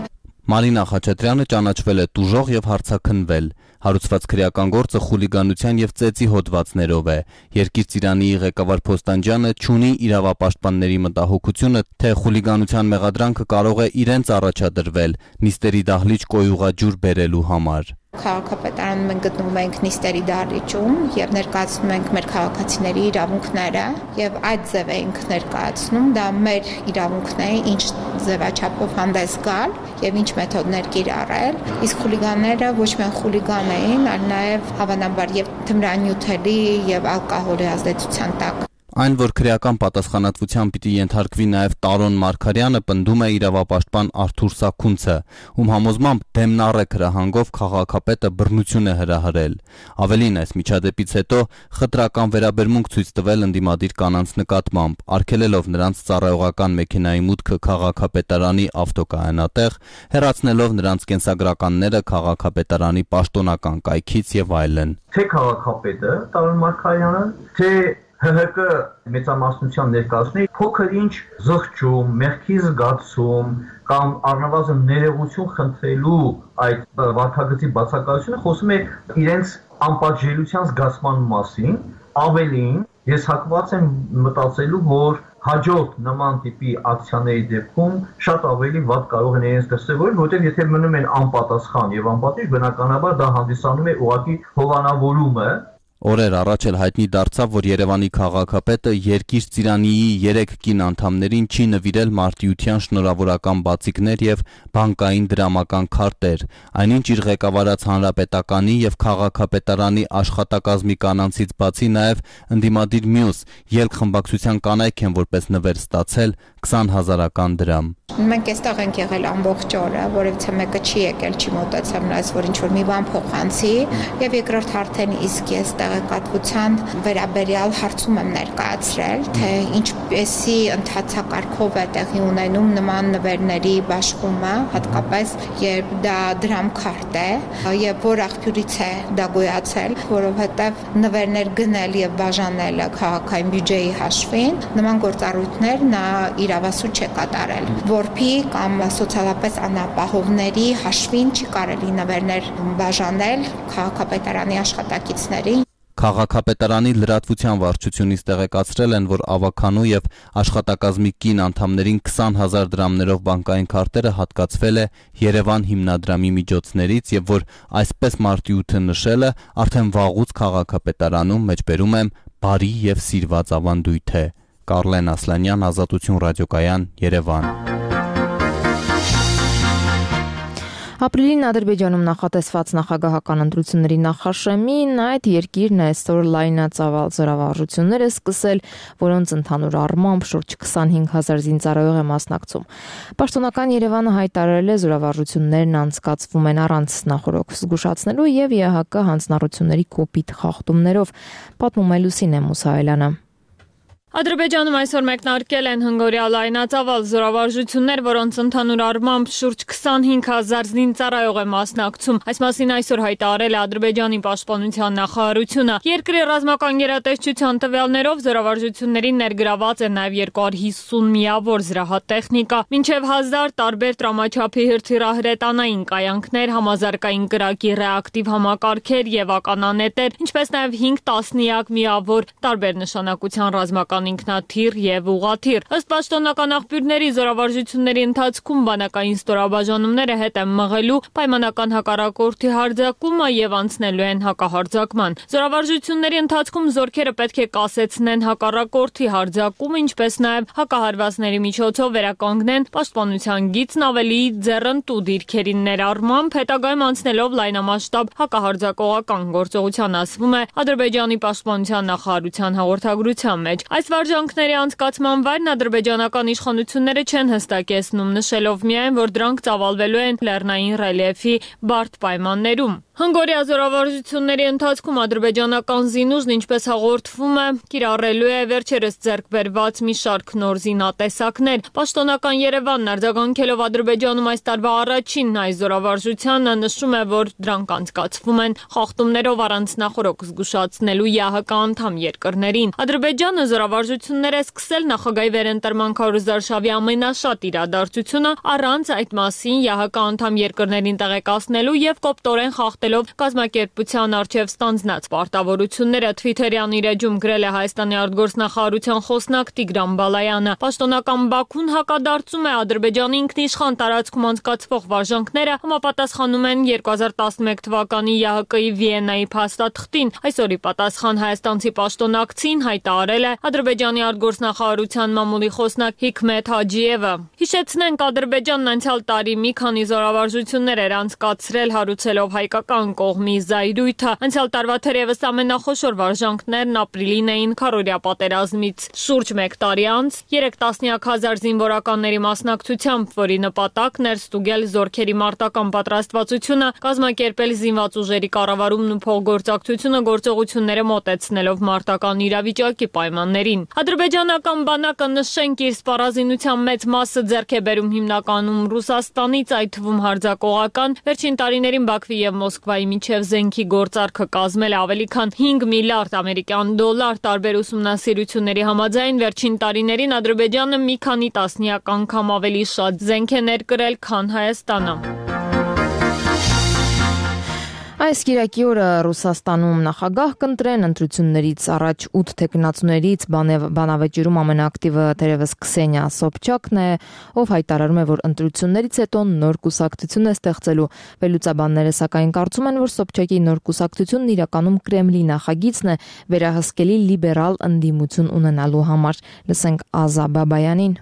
Մարինա Խաչատրյանը ճանաչվել է տուժող եւ հարցաքննվել։ Հարուցված քրեական գործը խուլիգանության եւ ծեծի հոդվածներով է։ Երկիր ծիրանի ղեկավար Փոստանջյանը չունի իրավապաշտպանների մտահոգությունը, թե խուլիգանության մեղադրանքը կարող է իրենց առաջադրվել նիստերի դահլիճ կոյուղաջուր բերելու համար։ Քաղաքապետարանում մենք գտնվում ենք նիստերի դահլիճում եւ ներկայացնում ենք մեր քաղաքացիների իրավունքները եւ այդ ձև ենք ներկայացնում, դա մեր իրավունքն է, ինչ ձևաչափով հանդես գալ եւ ինչ մեթոդներ կիրառել, իսկ խուլիգանները ոչ միայն խուլիգան էին, այլ նաեւ հավանաբար եւ թմրանյութերի եւ ալկոհոլի ազդեցության տակ։ Այն, որ քրեական պատասխանատվության պիտի ենթարկվի նաև Տարոն Մարգարյանը, պնդում է իրավապաշտպան Արթուր Սաքունցը, ում համոզմամբ դեմնառեկ հրահանգով քաղաքապետը բռնություն է հրահրել։ Ավելին, այս միջադեպից հետո խտրական վերաբերմունք ցույց տվել ընդդիմադիր կանանց նկատմամբ, արգելելով նրանց ծառայողական մեքենայի մուտքը քաղաքապետարանի ավտոկայանատեղ, հեռացնելով նրանց կենսագրականները քաղաքապետարանի պաշտոնական կայքից եւ այլն։ Թե քաղաքապետը Տարոն Մարգարյանը, թե Հ Հ Կ մեծամասնության ներկայացնի փոքր ինչ զղջում, մեղքի զգացում կամ առնվազն ներողություն խնդրելու այդ վարքագծի բացակայությունը խոսում է իրենց անպատժելիության զգացման մասին, ավելին ես հակված եմ մտածելու, որ հաջորդ նման տիպի ակցիաների դեպքում շատ ավելի վատ կարող են իրենց դրսևորել, որտեղ եթե մնում են անպատասխան եւ անպատիժ, բնականաբար դա հանդիսանում է ուղղակի հովանավորումը։ Օրեր առաջ էլ հայտնի դարձավ, որ Երևանի քաղաքապետը Երկիր ծիրանիի երեք կին անդամներին չի նվիրել մարտիության շնորհավորական բացիկներ եւ բանկային դրամական քարտեր, այնինչ իր ղեկավարած հանրապետականի եւ քաղաքապետարանի աշխատակազմի կանանցից բացի նաեւ ընդդիմադիր մյուս ելք խմբակցության կանայք են որպես նվեր ստացել քսան հազարական դրամ։ Մենք այստեղ ենք եղել ամբողջ օրը, որովհետեւ մեկը չի եկել, չի մոտեցել նրանց, որ ինչ որ մի բան փոխանցի, եւ երկրորդ արդեն իսկ ես տեղեկատվության վերաբերյալ հարցում եմ ներկայացրել, թե ինչպեսի ընթացակարգով է տեղի ունենում նման նվերների բաշխումը, հատկապես երբ դա դրամքարտ է, եւ որ աղբյուրից է դա գոյացել, որովհետեւ նվերներ գնել եւ բաժանելը քաղաքային բյուջեի հաշվին, նման գործառույթներ նա իրավասու չէ կատարել, որփի կամ սոցիալապես անապահովների հաշվին չի կարելի նվերներ բաժանել քաղաքապետարանի աշխատակիցներին։ Քաղաքապետարանի լրատվության վարչությունից տեղեկացրել են, որ ավականու եւ աշխատակազմի կին անդամներին քսան հազար դրամներով բանկային քարտերը հատկացվել է Երևան հիմնադրամի միջոցներից եւ որ այսպես մարտիութը նշելը արդեն վաղուց քաղաքապետարանում մեջբերում եմ բարի եւ սիրված ավանդույթ է։ Կարլեն Ասլանյան, Ազատություն ռադիոկայան, Երևան։ Ապրիլին Ադրբեջանում նախատեսված նախագահական ընտրությունների նախաշեմին այդ երկիրն այսօր լայնածավալ զորավարժություններ է սկսել, որոնց ընդհանուր առմամբ շուրջ քսանհինգ հազար զինծառայող է մասնակցում։ Պաշտոնական Երևանը հայտարարել է զորավարժություններն անցկացվում են առանց նախորոք զգուշացնելու եւ Ե Հ Կ հանձնառությունների կոպիտ խախտումներով, պատմում է Լուսինե Մուսայելյանը։ Ադրբեջանում այսօր մեկնարկել են հնգօրյա լայնածավալ զորավարժություններ, որոնց ընդհանուր առմամբ շուրջ քսանհինգ հազար զինծառայող է մասնակցում։ Այս մասին այսօր հայտարարել է Ադրբեջանի պաշտպանության նախարարությունը։ Երկրի ռազմական գերատեսչության տվյալներով զորավարժություններին ներգրաված է նաև երկու հարյուր հիսուն միավոր զրահատեխնիկա, մինչև հազար տարբեր տրամաչափի հրթիռահրետանային կայանքներ, համազարգային կրակի ռեակտիվ համակարգեր եւ ականանետեր, ինչպես նաև հինգ տասնյակ միավոր տարբեր նշանակության ռազմական ինքնաթիռ եւ ուղաթիռ։ Ըստ պաշտոնական աղբյուրների զորավարժությունների ընթացքում բանակային ստորաբաժանումները հետ են մղելու պայմանական հակառակորդի հարձակումը եւ անցնելու են հակահարձակման։ Զորավարժությունների ընթացքում զորքերը պետք է կասեցնեն հակառակորդի հարձակումը, ինչպես նաեւ հակահարվածների միջոցով վերականգնեն պաշտպանության գիծն ավելի ձեռնտու դիրքերին ներառմամբ, հետագայում անցնելով լայնամասշտաբ հակահարձակողական գործողության, ասվում է Ադրբեջանի պաշտպանության նախարարության հաղորդագրության մեջ։ Այս վարժանքների անցկացման վայրն ադրբեջանական իշխանությունները չեն հստակեցնում, նշելով միայն, որ դրանք ծավալվելու են լեռնային ռելիեֆի բարդ պայմաններում։ Հնգօրյա զորավարժությունների ընթացքում ադրբեջանական զինուժն, ինչպես հաղորդվում է, կիրառելու է վերջերս ձեռք բերված մի շարք նոր զինատեսակներ։ Պաշտոնական Երևանն արձագանքելով Ադրբեջանում այս տարվա առաջին այս զորավարժությանը նշում է, որ դրանք անցկացվում են խախտումներով առանց նախորոք զգուշացնելու Ե Հ Կ անդամ երկրներին։ Ադրբեջանը զորավարժություններ է սկսել նախագահի վերընտրման Քարոզ Զարշավի ամենաշատ իրադարձությունը առանց այդ մասին Ե Հ Կ անդամ երկրներին տեղեկացնելու եւ կոպտորեն խախտելով կազմակերպության առջև ստանձնած պարտավորությունները։ Թվիթերյան իր էջում գրել է Հայաստանի արտգործնախարարության խոսնակ Տիգրան Բալայանը։ Պաշտոնական Բաքուն հակադարձում է Ադրբեջանի ինքնիշխան տարածքում անցկացվող վարժանքները համապատասխանում են երկու հազար տասնմեկ թվականի Ե Հ Կ-ի Վիեննայի փաստաթղթին։ Այսօրի պատասխան հայաստանցի պաշտոնակցին հայտարարել է Ադրբեջանի արտգործնախարարության մամուլի խոսնակ Հիքմեթ Հաջիևը։ Հիշեցնենք, Ադրբեջանն անցյալ տարի մի քանի զորավարժություններ էր անցկացրել հարուցելով հայկական ռուսական կողմի զայրույթը։ Անցյալ տարվա թերևս ամենախոշոր վարժանքներն ապրիլին էին քարորիա պատերազմից։ Շուրջ մեկ տարի անց երեք տասնյակ հազար զինվորականների մասնակցությամբ, որի նպատակն էր ստուգել զորքերի մարտական պատրաստվածությունը, կազմակերպել զինված ուժերի կառավարումն ու փոխգործակցությունը գործողությունները մոտեցնելով մարտական իրավիճակի պայմաններին։ Ադրբեջանական բանակը նշենք իր սպառազինության մեծ մասը ձեռք է բերում հիմնականում Ռուսաստանից, այդ թվում հարձակողական, վերջին տարիներին Բաքվի եւ Մոսկվայի միջև զենքի գործարքը կազմել է ավելի քան հինգ միլիարդ ամերիկյան դոլար, տարբեր ուսումնասիրությունների համաձայն վերջին տարիներին Ադրբեջանը մի քանի տասնյակ անգամ ավելի շատ զենք է ներկրել, քան Հայաստանը։ Այս կիրակի օրը Ռուսաստանում նախագահ կընտրեն, ընտրություններից առաջ ութ թեկնածուներից բանավեճերում ամենաակտիվը թերևս Քսենիա Սոբչակն է, ով հայտարարում է, որ ընտրություններից հետո նոր կուսակցություն է ստեղծելու։ Վերլուծաբանները սակայն կարծում են, որ Սոբչակի նոր կուսակցությունն իրականում Կրեմլի նախագիծն է վերահսկելի լիբերալ ընդդիմություն ունենալու համար։ Լսենք Ազա Բաբայանին։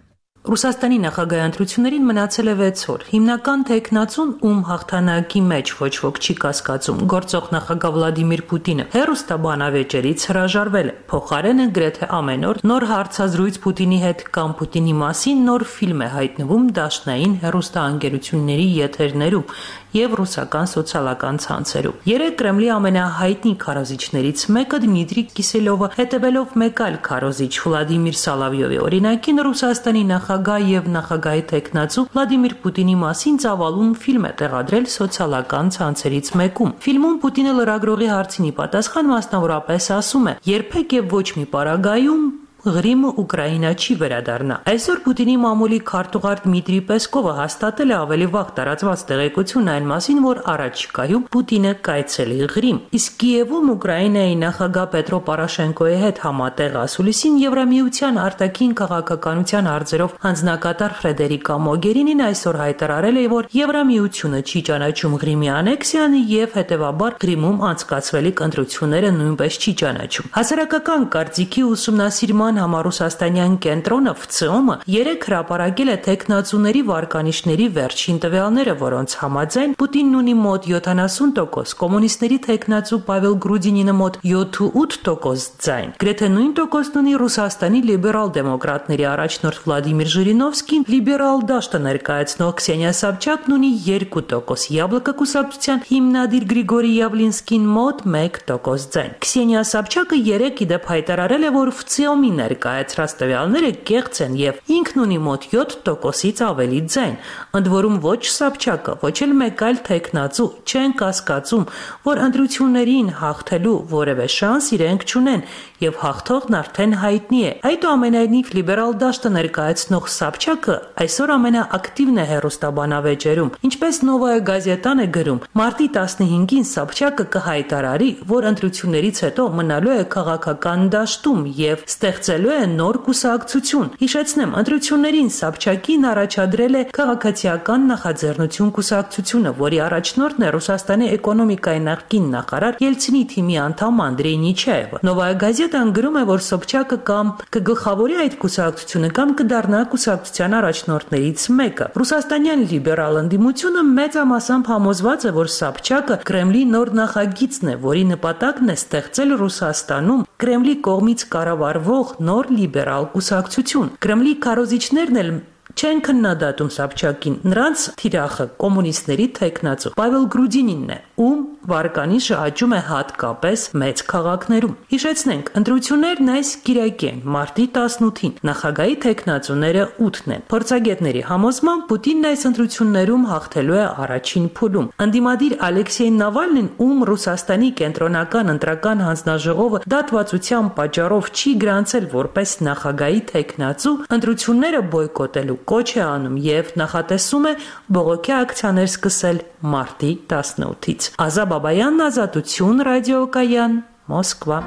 Ռուսաստանի նախագահ ընտրություններին մնացել է վեց օր։ Հիմնական թեկնածուն, ում հաղթանակի մեջ ոչ ոք չի կասկածում, գործող նախագահ Վլադիմիր Պուտինը հեռուստաբանավեճերից հրաժարվել է։ Փոխարենը գրեթե ամեն օր նոր հարցազրույց Պուտինի հետ կամ Պուտինի մասին նոր ֆիլմ է հայտնվում դաշնային հեռուստաընկերությունների եթերներում եւ ռուսական սոցիալական ցանցերում։ Երեք Կրեմլի ամենահայտնի քարոզիչներից մեկը Դմիտրի Կիսելովը, հետևելով մեկ այլ քարոզիչ Վլադիմիր Սալավյովի օրինակին, Ռուսաստանի նախագահ եւ նախագահի տեխնացու Վլադիմիր Պուտինի մասին ծավալուն ֆիլմ է տեղադրել սոցիալական ցանցերից մեկում։ Ֆիլմում Պուտինը լրագրողի հարցին ի պատասխան մասնավորապես ասում է. «Երբեք եւ ոչ մի պարագայում Ղրիմը Ուկրաինա չի վերադառնա»։ Այսօր Պուտինի մամուլի քարտուղար Դմիտրի Պեսկովը հաստատել է ավելի վաղ տարածված տեղեկություն այն մասին, որ առաջիկայում Պուտինը կայցելի Ղրիմ։ Իսկ Կիևում Ուկրաինայի նախագահ Պետրո Պորոշենկոյի հետ համատեղ ասուլիսին Եվրամիության արտաքին քաղաքականության հարցերով հանձնակատար Ֆրեդերիկա Մոգերինին այսօր հայտարարել է, որ Եվրամիությունը չի ճանաչում Ղրիմի անեքսիան եւ հետեւաբար Ղրիմում անցկացվելիք ընտրությունները նույնպես չի ճանաչում։ Հասարակական կարծիքի ուսումնասիրման համառուսաստանյան կենտրոնը ՖՑԸՄ-ը երեք հրապարակել է տեխնացուների վարկանիշների վերջին տվյալները, որոնց համաձայն Պուտինն ունի մոտ յոթանասուն տոկոս, կոմունիստների տեխնացու Պավել Գրուդինինը մոտ յոթ տոկոս ձայն։ Գրեթե նույն տոկոսն ունի Ռուսաստանի լիբերալ դեմոկրատների առաջնորդ Վլադիմիր Ժիրինովսկին, լիբերալ դաշտը ներկայացնող Քսենիա Սոբչակն ունի երկու տոկոս, Յաբլոկա կուսակցության հիմնադիր Գրիգորի Յավլինսկին մոտ մեկ տոկոս ձայն։ Քսենիա Սոբչակը երեք իդեպ հայտարարել է, որ ՖՑԻՕՄ-ի ներկայացրած տվյալները կեղծ են եւ ինքն ունի մոտ յոթ տոկոսից ավելի ձայն։ Ընդ որում ոչ Սոբչակը, ոչ էլ մեկ այլ տեխնացու չեն կասկածում, որ ընտրություններին հաղթելու որևէ շանս իրենք չունեն եւ հաղթողն արդեն հայտնի է։ Այդուամենայնիվ լիբերալ դաշտը ներկայացնող Սոբչակը այսօր ամենաակտիվն է հեռուստաբանավեճերում։ Ինչպես Նովայա գազետան է գրում, մարտի տասնհինգին Սոբչակը կհայտարարի, որ ընտրություններից հետո մնալու է քաղաքական դաշտում եւ ստեղծելու է նոր կուսակցություն։ Հիշեցնեմ, ընտրություններին Սոբչակին առաջադրել է քաղաքացիական նախաձեռնություն կուսակցությունը, որի առաջնորդն է Ռուսաստանի էկոնոմիկայի նախկին նախարար Ելցինի թիմի անդամ Անդրեյ Նիչաևը։ Նովայա գազետան գրում է, որ Սոբչակը կամ կգլխավորի այդ կուսակցությունը կամ կդառնա կուսակցության առաջնորդներից մեկը։ Ռուսաստանյան լիբերալ ընդդիմությունը մեծամասամբ համոզված է, որ Սոբչակը Կրեմլի նոր նախագիծն է, որի նպատակն է ստեղծել Ռուսաստանում Կրեմլի կողմից կառավարվող նոր լիբերալ կուսակցություն։ Կրեմլի քարոզիչներն էլ չեն քննադատում Սոբչակին, նրանց թիրախը կոմունիստների տեխնացու Պավել Գրուդինինն է, ում վարկանիշը աճում է հատկապես մեծ քաղաքներում։ Հիշեցնենք, ընտրություններն այս կիրակի են, մարտի տասնութին, նախագահի տեխնացուները ութն են։ Փորձագետների համոզմամբ Պուտինն այս ընտրություններում հաղթելու է առաջին փուլում։ Ընդդիմադիր Ալեքսեյ Նավալնին, ում Ռուսաստանի կենտրոնական ընտրական հանձնաժողովը դատվածության պատճառով չի գրանցել որպես նախագահի տեխնացու, ընտրությունները բոյկոտելու կոչ է անում եւ նախատեսում է բողոքի ակցիաներ սկսել մարտի տասնութից։ Ազա Բաբայան, Ազատություն, ռադիոկայան, Մոսկվա։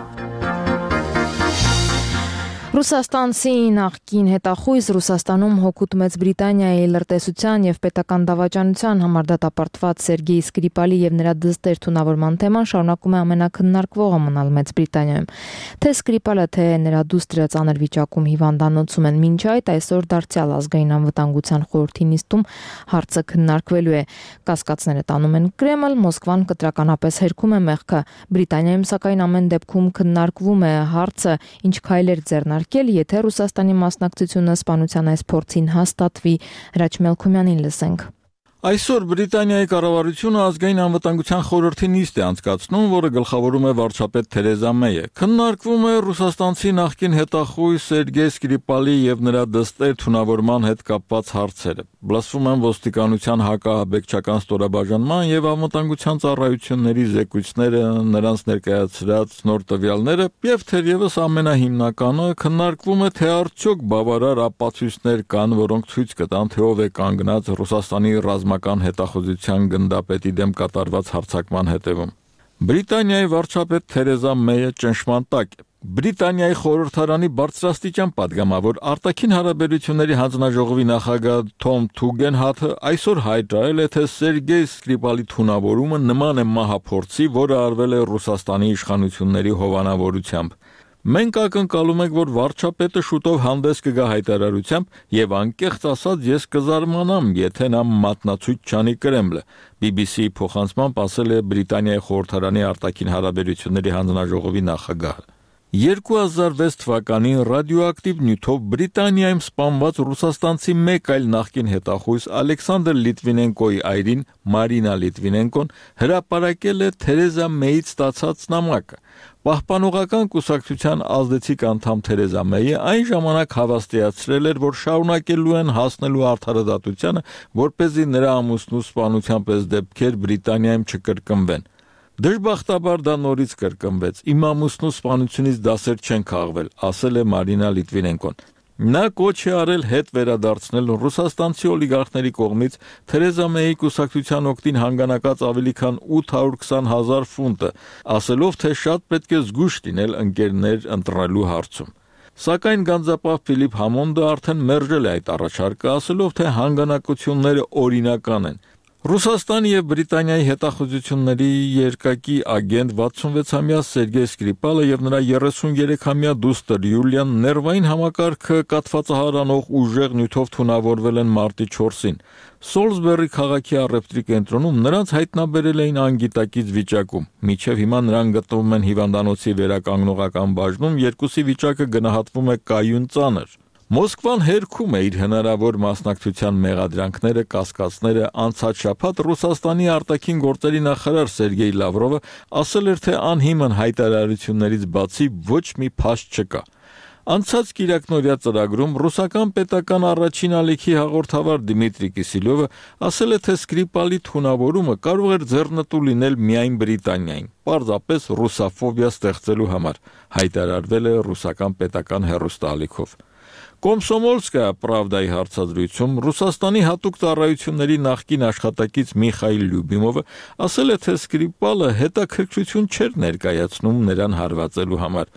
Ռուսաստանցի նախկին հետախույզ Ռուսաստանում հօգուտ Մեծ Բրիտանիայի լրտեսության եւ պետական դավաճանության համար դատապարտված Սերգեյ Սկրիպալի եւ նրա դստեր թունավորման թեման շարունակում է ամենակննարկվողը մնալ Մեծ Բրիտանիայում։ Թե Սկրիպալը, թե նրա դուստրը ծանր վիճակում հիվանդանոցում են մինչ այդ, այսօր դարձյալ ազգային անվտանգության խորհրդի նիստում հարցը քննարկվելու է։ Կասկածները տանում են Կրեմլ, Մոսկվան կտրականապես հերքում է մեղքը։ Բրիտանիայում սակայն ամեն դեպքում քննարկվում է հարցը, ինչ քայլեր ձեռնարկել, եթե Ռուսաստանի մասնակցությունը սպանության այս փորձին հաստատվի։ Հրաչ Մելքումյանին լսենք։ Այսօր Բրիտանիայի կառավարությունը ազգային անվտանգության խորհրդի նիստ է անցկացնում, որը գլխավորում է վարչապետ Թերեզա Մեյը։ Քննարկվում է ռուսաստանցի նախկին հետախույզ Սերգեյ Սկրիպալի եւ նրա դստեր թունավորման հետ կապված հարցերը։ Բլասվում են ոստիկանության հակահաբեկչական ստորաբաժանման եւ անվտանգության ծառայությունների զեկույցները, նրանց ներկայացրած նոր տվյալները եւ թերևս ամենահիմնականը քննարկվում է, թե արդյոք բավարար ապացույցներ կան, որոնք ցույց կտան, թե ով է կանգնած Ռուսաստանի ռազմական հետախուզության գնդապետի դեմ կատարված հարձակման հետևում։ Բրիտանիայի վարչապետ Թերեզա Մեյը ճնշման տակ է։ Բրիտանիայի խորհրդարանի բարձրաստիճան падգամավոր արտաքին հարաբերությունների հանձնաժողովի նախագահ Թոմ Թուգենհաթը այսօր հայտարարել է, թե Սերգեյ Սկրիպալի թունավորումը նման է մահափորձի, որը արվել է Ռուսաստանի իշխանությունների հովանավորությամբ։ Մենք ակնկալում ենք, որ վարչապետը շուտով հանդես կգա հայտարարությամբ եւ անկեղծ ասած ես կզարմանամ, եթե նա մատնացույց չանի Կրեմլը, բի բի սի-ի փոխանցմամբ ասել է Բրիտանիայի խորհրդարանի արտաքին հարաբերությունների հանձնաժողովի նախագահը։ երկու հազար վեց թվականին ռադիոակտիվ նյութով Բրիտանիայում սպանված ռուսաստանցի մեկ այլ նախկին հետախույզ Ալեքսանդր Լիտվինենկոյի այրին Մարինա Լիտվինենկոն հրապարակել է Թերեզա Մեյից ստացած նամակը։ Պահպանողական կուսակցության ազդեցիկ անդամ Թերեզա Մեյը այն ժամանակ հավաստիացրել էր, որ շարունակելու են հասնելու արդարադատությանը, որպեսզի նրա ամուսնու սպանության պես դեպքեր Բրիտանիայում չկրկնվեն։ Դժբախտաբար դա նորից կրկնվեց։ Իմ ամուսնու սպանությունից դասեր չեն քաղվել, ասել է Մարինա Լիտվինենկոն։ Նա կոչ է արել հետ վերադարձնել ռուսաստանցի օլիգարխների կողմից Թերեզա Մեյի կուսակցության օգտին հանգանակած ավելի քան ութ հարյուր քսան հազար ֆունտը, ասելով, թե շատ պետք է զգույշ լինել ընկերներ ընտրելու հարցում։ Սակայն գանձապահ Ֆիլիպ Համոնդը արդեն մերժել է այդ առաջարկը, ասելով, թե հանգանակությունները օրինական են։ Ռուսաստանի եւ Բրիտանիայի հետախուզությունների երկակի ագենտ վաթսունվեցամյա Սերգեյ Սկրիպալը եւ նրա երեսուներեքամյա դուստր Յուլիան ներվային համակարգը կաթվածահարանող ուժեղ նյութով թունավորվել են մարտի չորսին։ Սոլսբերի քաղաքի առևտրի կենտրոնում նրանց հայտնաբերել էին անգիտակից վիճակում։ Մինչև հիմա նրանք գտնվում են հիվանդանոցի վերականգնողական բաժնում, երկուսի վիճակը գնահատվում է կայուն ծանր։ Մոսկվան հերքում է իր հնարավոր մասնակցության մեղադրանքները, կասկածները։ Անցած շաբաթ Ռուսաստանի արտաքին գործերի նախարար Սերգեյ Լավրովը ասել էր, թե անհիմն հայտարարություններից բացի ոչ մի փաստ չկա։ Անցած կիրակնօրյա ծրագրում ռուսական պետական առաջին ալիքի հաղորդավար Դիմիտրի Կիսիլյովը ասել է, թե Սկրիպալի թունավորումը կարող էր ձեռնտու լինել միայն Բրիտանիային, պարզապես ռուսաֆոբիա ստեղծելու համար, հայտարարվել է ռուսական պետական հեռուստաալիքով։ Կոմսոմոլսկայա Պրավդայի հարցազրույցում Ռուսաստանի հատուկ ծառայությունների նախկին աշխատակից Միխայիլ Լյուբիմովը ասել է, թե Սկրիպալը հետաքրքրություն չէր ներկայացնում նրան հարվածելու համար։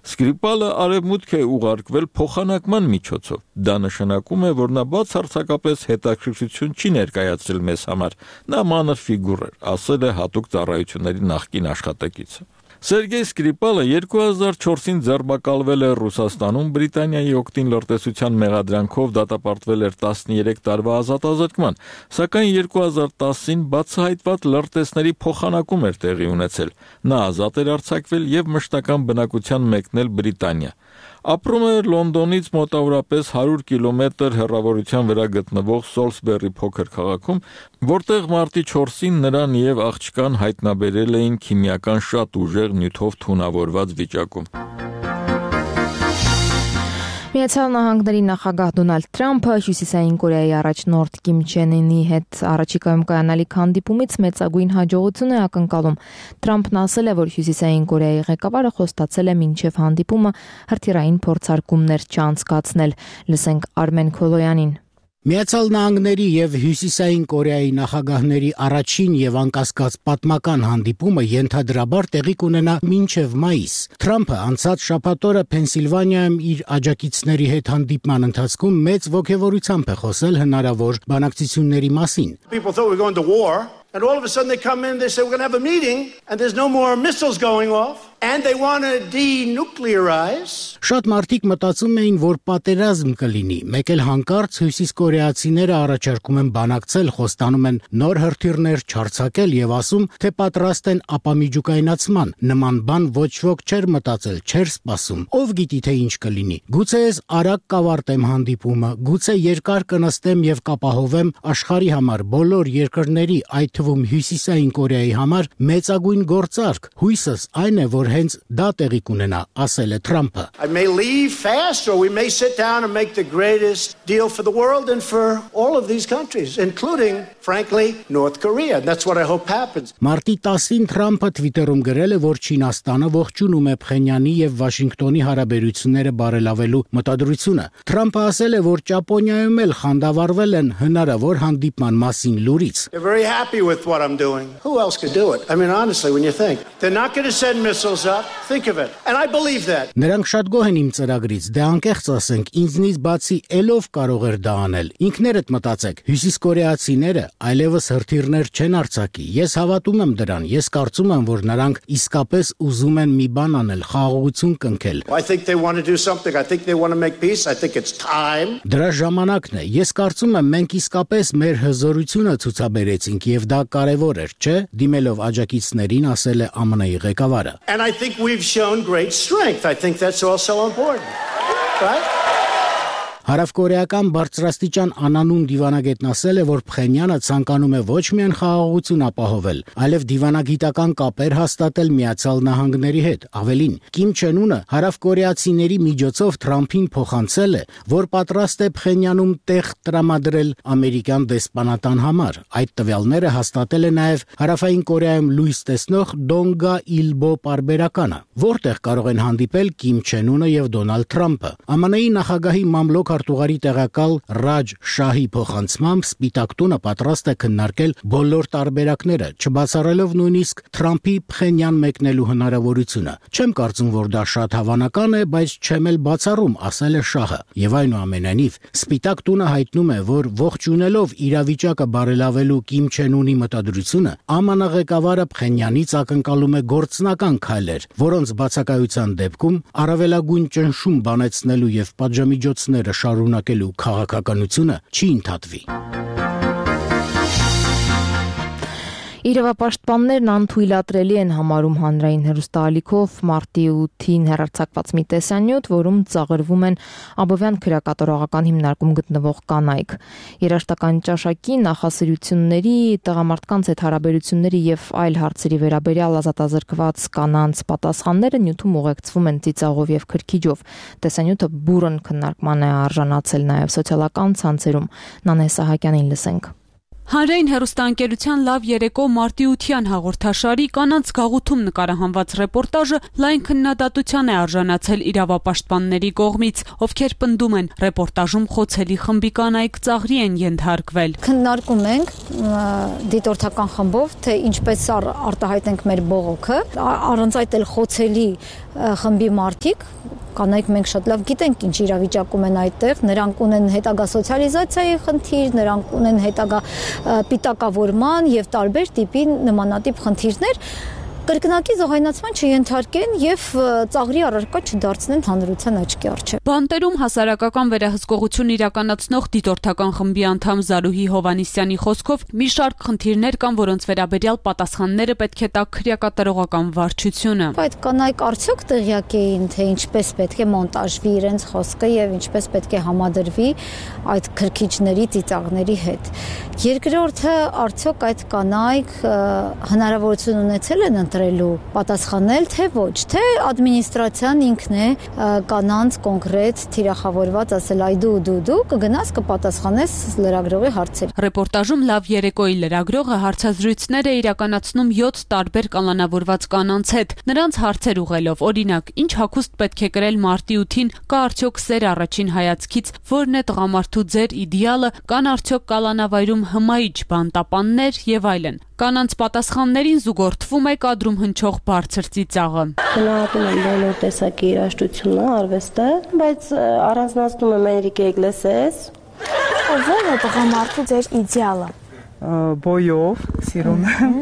Սկրիպալը արևմուտք է ուղարկվել փոխանակման միջոցով։ Դա նշանակում է, որ նա բացարձակապես հետաքրքրություն չի ներկայացրել մեզ համար։ Նա մանր ֆիգուր էր, ասել է հատուկ ծառայությունների նախկին աշխատակիցը։ Սերգեյ Սկրիպալը երկու հազար չորսին ձերբակալվել է Ռուսաստանում, Բրիտանիայի օգտին լրտեսության մեղադրանքով դատապարտվել էր տասներեք տարվա ազատազրկման, սակայն երկու հազար տասին բացահայտված լրտեսների փոխանակում էր տեղի ունեցել։ Նա ազատ էր արձակվել եւ մշտական բնակության մեկնել Բրիտանիա։ Ապրում էր Լոնդոնից մոտավորապես հարյուր կիլոմետր հեռավորության վրա գտնվող Սոլսբերի փոքր քաղաքում, որտեղ մարտի չորսին նրան եւ աղջկան հայտնաբերել էին քիմիական շատ ուժեղ նյութով թունավորված վիճակում։ Միացյալ Նահանգների նախագահ Դոնալդ Թրամփը Հյուսիսային Կորեայի առաջնորդ Կիմ Չեն Ինի հետ առաջիկայում կայանալիք հանդիպումից մեծագույն հաջողություն է ակնկալում։ Թրամփն ասել է, որ Հյուսիսային Կորեայի ղեկավարը խոստացել է մինչև հանդիպումը հրթիռային փորձարկումներ չանցկացնել։ Լսենք Արմեն Քոլոյանին։ Միացյալ Նահանգների եւ Հյուսիսային Կորեայի նախագահների առաջին եւ անկասկած պատմական հանդիպումը ենթադրաբար տեղի կունենա մինչեւ մայիս։ Թրամփը անցած շաբաթ օրը Փենսիլվանիայում իր աջակիցների հետ հանդիպման ընթացքում մեծ ոգևորությամբ է խոսել հնարավոր բանակցությունների մասին։ And all of a sudden they come in, they say, we're going to have a meeting, and there's no more missiles going off, and they want to denuclearize. Շատ մարդիկ մտածում էին, որ պատերազմ կլինի, մեկ էլ հանկարծ հյուսիս կորեացիները առաջարկում են բանակցել, խոստանում են նոր հրթիռներ չարձակել եւ ասում, թե պատրաստ են ապամիջուկայնացման։ Նման բան ոչ ոք չէր մտածել, չէր սպասում։ Ով գիտի թե ինչ կլինի։ Գուցե ես արագ կավարտեմ հանդիպումը, գուցե երկար կնստեմ եւ կապահովեմ աշխարհի համար բոլոր երկրների, այդ թվում Հյուսիսային Կորեայի համար մեծագույն գործարք։ Հույսս այն է, որ հենց դա տեղի կունենա, ասել է Թրամփը։ I may leave fast or we may sit down and make the greatest deal for the world and for all of these countries, including, frankly, North Korea. And that's what I hope happens. Մարտի տասին Թրամփը Twitter-ում գրել է, որ Չինաստանը ողջունում է Փխենյանի եւ Վաշինգտոնի հարաբերությունները բարելավելու մտադրությունը։ Թրամփը ասել է, որ Ճապոնիայում էլ խանդավառվել են հնարավոր հանդիպման մասին լուրից։ They're very happy with what I'm doing. Who else could do it? I mean, honestly, when you think they're not going to send missiles up, think of it. And I believe that. Նրանք շատ գոհ են իմ ծրագրից, դե անկեղծ ասենք, ինձնից բացի ելով կարող էր դա անել։ Ինքներդ մտածեք, հյուսիս կորեացիները այլևս հրթիռներ չեն արձակի։ Ես հավատում եմ դրան, ես կարծում եմ, որ նրանք իսկապես ուզում են մի բան անել, խաղաղություն կնքել։ I think they want to do something. I think they want to make peace. I think it's time. Դրա ժամանակն է։ Ես կարծում եմ մենք իսկապես մեր հզորությունը ցուցաբերեցինք եւ դա կարեւոր էր, չէ՞, դիմելով աջակիցներին ասել է ԱՄՆ-ի ղեկավարը։ And I think we've shown great strength. I think that's also important. Right? Հարավկորեական բարձրաստիճան անանուն դիվանագետն ասել է, որ Փխենյանը ցանկանում է ոչ միայն խաղաղություն ապահովել, այլև դիվանագիտական կապեր հաստատել Միացյալ Նահանգների հետ։ Ավելին, Կիմ Չեն Ունը հարավկորեացիների միջոցով Թրամփին փոխանցել է, որ պատրաստ է Փխենյանում տեղ տրամադրել ամերիկյան դեսպանատան համար։ Այդ տվյալները հաստատել է նաև Հարավային Կորեայում լույս տեսնող Դոնգա Իլբո պարբերականը, որտեղ կարող են հանդիպել Կիմ Չեն Ունը եւ Դոնալդ Թրամփը։ ԱՄՆ-ի նախագահի մամլոք արտուղարի տեղակալ Ռաջ Շահի փոխանցմամբ Սպիտակ տունը պատրաստ է քննարկել բոլոր տարբերակները, չբացառելով նույնիսկ Թրամփի Փխենյան մեկնելու հնարավորությունը։ Չեմ կարծում, որ դա շատ հավանական է, բայց չեմ էլ բացառում, ասել է Շահը։ Եվ այնուամենայնիվ, Սպիտակ տունը հայտնում է, որ ողջունելով իրավիճակը բարելավելու Կիմ Չեն Ունի մտադրությունը, ԱՄՆ ղեկավարը Փխենյանից ակնկալում է գործնական քայլեր, որոնց բացակայության դեպքում առավելագույն ճնշում բանեցնելու եւ պատժամիջոցները շարունակելու քաղաքականությունը չի ընդհատվի։ Իրավապաշտպաններն անթույլատրելի են համարում հանրային հեռուստաալիքով մարտի ութին հեռարձակված մի տեսանյութ, որում ծաղրվում են Աբովյան քրեակատարողական հիմնարկում գտնվող կանայք։ Երաշտական ճաշակի, նախասիրությունների, տղամարդկանց հետ հարաբերությունների եւ այլ հարցերի վերաբերյալ ազատազրկված կանանց պատասխանները նյութում ուղեկցվում են ծիծաղով եւ քրքիջով։ Տեսանյութը բուրըն քննարկման է արժանացել նաեւ սոցիալական ցանցերում։ Նանե Սահակյանին լսենք։ Հանրային հեռուստաընկերության Լավ երեկո մարտի ության հաղորդաշարի կանանց գաղութում նկարահանված ռեպորտաժը լայն քննադատության է արժանացել իրավապաշտպանների կողմից, ովքեր պնդում են ռեպորտաժում խոցելի խմբի կանայք ծաղրի են ենթարկվել։ Քննարկում ենք դիտորդական խմբով, թե ինչպես արտահայտենք մեր բողոքը, առանց այդ էլ խոցելի խմբի մարդիկ կանայք մենք շատ լավ գիտենք ինչ իրավիճակում են այդտեղ, նրանք ունեն հետագա սոցիալիզացիայի խնդիր, նրանք ունեն հետագա պիտակավորման եւ տարբեր տիպի նմանատիպ խնդիրներ, կրկնակի զոհայնացման չենթարկեն եւ ծաղրի առարկա չդարձնեն հանրության աչքի առջեւ։ Բանտերում հասարակական վերահսկողություն իրականացնող դիտորդական խմբի անդամ Զարուհի Հովանիսյանի խոսքով մի շարք խնդիրներ կան, որոնց վերաբերյալ պատասխանները պետք է տա քրեակատարողական վարչությունը։ Այդ կանայք արդյոք տեղյակ էին, թե ինչպես պետք է մոնտաժվի իրենց խոսքը եւ ինչպես պետք է համադրվի այդ քրքիջների ծիծաղների հետ։ Երկրորդը, արդյոք այդ կանայք հնարավորություն ունեցել են թույլատրելու, պատասխանել թե ոչ, թե ադմինիստրացիան ինքն է կանանց կոնկրետ թիրախավորված ասել այ դու դու դու կգնաս կպատասխանես լրագրողի հարցեր։ Ռեպորտաժում Լավ երեկոյի լրագրողը հարցազրույցներ է իրականացնում յոթ տարբեր կանոնավորված կանանց հետ, նրանց հարցեր ուղղելով, օրինակ, ինչ հագուստ պետք է կրել մարտի ութին, կա արդյոք սեր առաջին հայացքից, որն է տղամարդու ձեր իդեալը, կան արդյոք կալանավայրում հմայիչ բանտապաններ եւ այլն։ Կանանց պատասխաններին զուգորդվում է կադրում հնչող բարձր ծիծաղը։ Գնահատում եմ բոլոր տեսակի երաժշտությունը, արվեստը, բայց առանձնացնում եմ Էնրիկե Իգլեսիաս։ Ո՞ր է տղամարդու ձեր իդեալը։ Բոյով, սիրում եմ,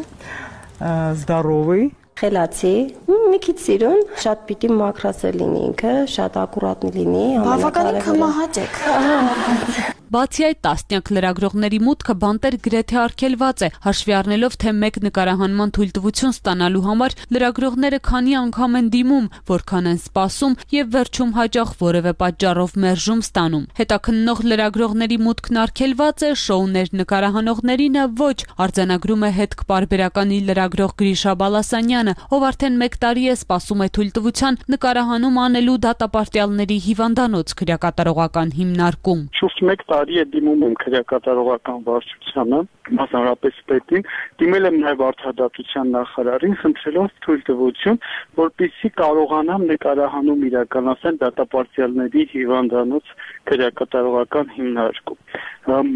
здоровый, խելացի, մի քիչ սիրուն, շատ պիտի մաքրասել լինի ինքը, շատ ակուրատնի լինի, բավականին կմահաճեք։ Բացի այդ, տասնյակ լրագրողների մուտքը բանտեր գրեթե արգելված է, հաշվի առնելով, թե մեկ նկարահանման թույլտվություն ստանալու համար լրագրողները քանի անգամ են դիմում, որքան են սպասում եւ վերջում հաճախ որևէ պատճառով մերժում ստանում։ Հետաքննող լրագրողների մուտքն արգելված է, շոուներ նկարահանողներինը ոչ, արձանագրում է հետքպարբերականի լրագրող Գրիշա Բալասանյանը, ով արդեն մեկ տարի է սպասում է թույլտվության նկարահանում անելու դատապարտյալների հիվանդանոց քրեակատարողական հիմնարկում։ Տարի է դիմում եմ քրեակատարողական վարչությանը, մասնավորապես պետին, դիմել եմ նաև արդարադատության նախարարին, խնդրելով թույլտվություն, որպեսզի կարողանամ նկարահանում իրականացնել դատապարտյալների հիվանդանոց քրեակատարողական հիմնարկում։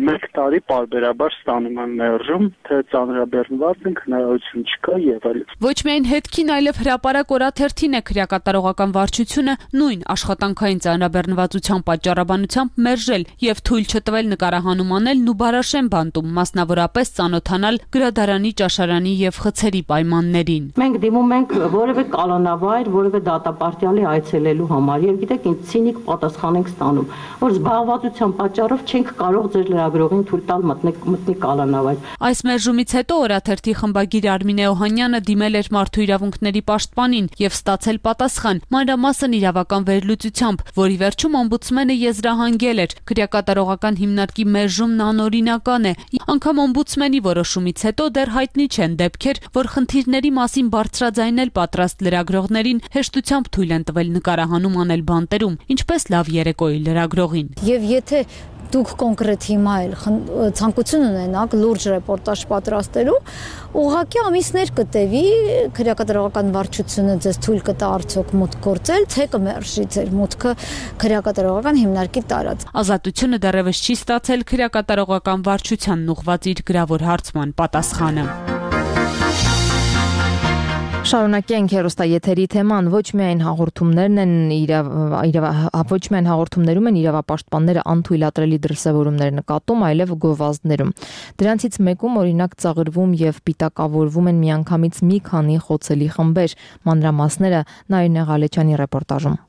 Մեկ տարի պարբերաբար ստանում եմ մերժում, թե ծանրաբեռնված ենք, հնարավորություն չկա եւ այլն։ Ոչ միայն հետքին, այլև հրապարակ օրաթերթին է քրեակատարողական վարչությունը նույն աշխատանքային ծանրաբեռնվածության պատճառաբանությամբ մերժել եւ թույլ չտվել նկարահանում անելն ու Բարաշեն բանտում, մասնավորապես ծանոթանալ գրադարանի, ճաշարանի եւ խցերի պայմաններին։ Մենք դիմում ենք որևէ կալանավայր, որևէ դատապարտյալի այցելելու համար եւ գիտեք, ինձ ցինիկ պատասխան ենք ստանում, որ զբաղվածության պատճառով չենք կարող ձեր լրագրողին թույլ տալ մտնի կալանավայր։ Այս մերժումից հետո օրաթերթի խմբագիր Արմինե Օհանյանը դիմել էր մարդու իրավունքների պաշտպանին եւ ստացել պատասխան, մանրամասն իրավական վերլուծությամբ, որի վերջում օմբուդսմենը եզրահանգել էր քրեակատարողական հիմնարկի մերժումն անօրինական է։ Անգամ օմբուդսմենի որոշումից հետո դեռ հայտնի չեն դեպքեր, որ խնդիրների մասին բարձրաձայնել պատրաստ լրագրողներին հեշտությամբ թույլ են տվել նկարահանում անել բանտերում, ինչպես Լավ երեկոյի լրագրողին։ Եվ եթե դուք կոնկրետ հիմա էլ ցանկություն ունենաք լուրջ ռեպորտաժ պատրաստելու, ուղղակի ամիսներ կտևի քրեակատարողական վարչությունը ձեզ թույլ կտա արդյոք մուտք գործել, թե կմերժի ձեր մուտքը քրեակատարողական հիմնարկի տարածք։ Ազատությունը դեռևս չի ստացել քրեակատարողական վարչությանն ուղղված իր գրավոր հարցման պատասխանը։ Շարունակենք հեռուստաեթերի թեման, ոչ միայն հաղորդումներն են իրավ, ոչ միայն հաղորդումներում են իրավապաշտպանները անթույլատրելի դրսևորումներ նկատում, այլև գովազդներում։ Դրանցից մեկում օրինակ ծաղրվում եւ պիտակավորվում են միանգամից մի քանի խոցելի խմբեր։ Մանրամասները Նայիրնե Ղալեչյանի ռեպորտաժում։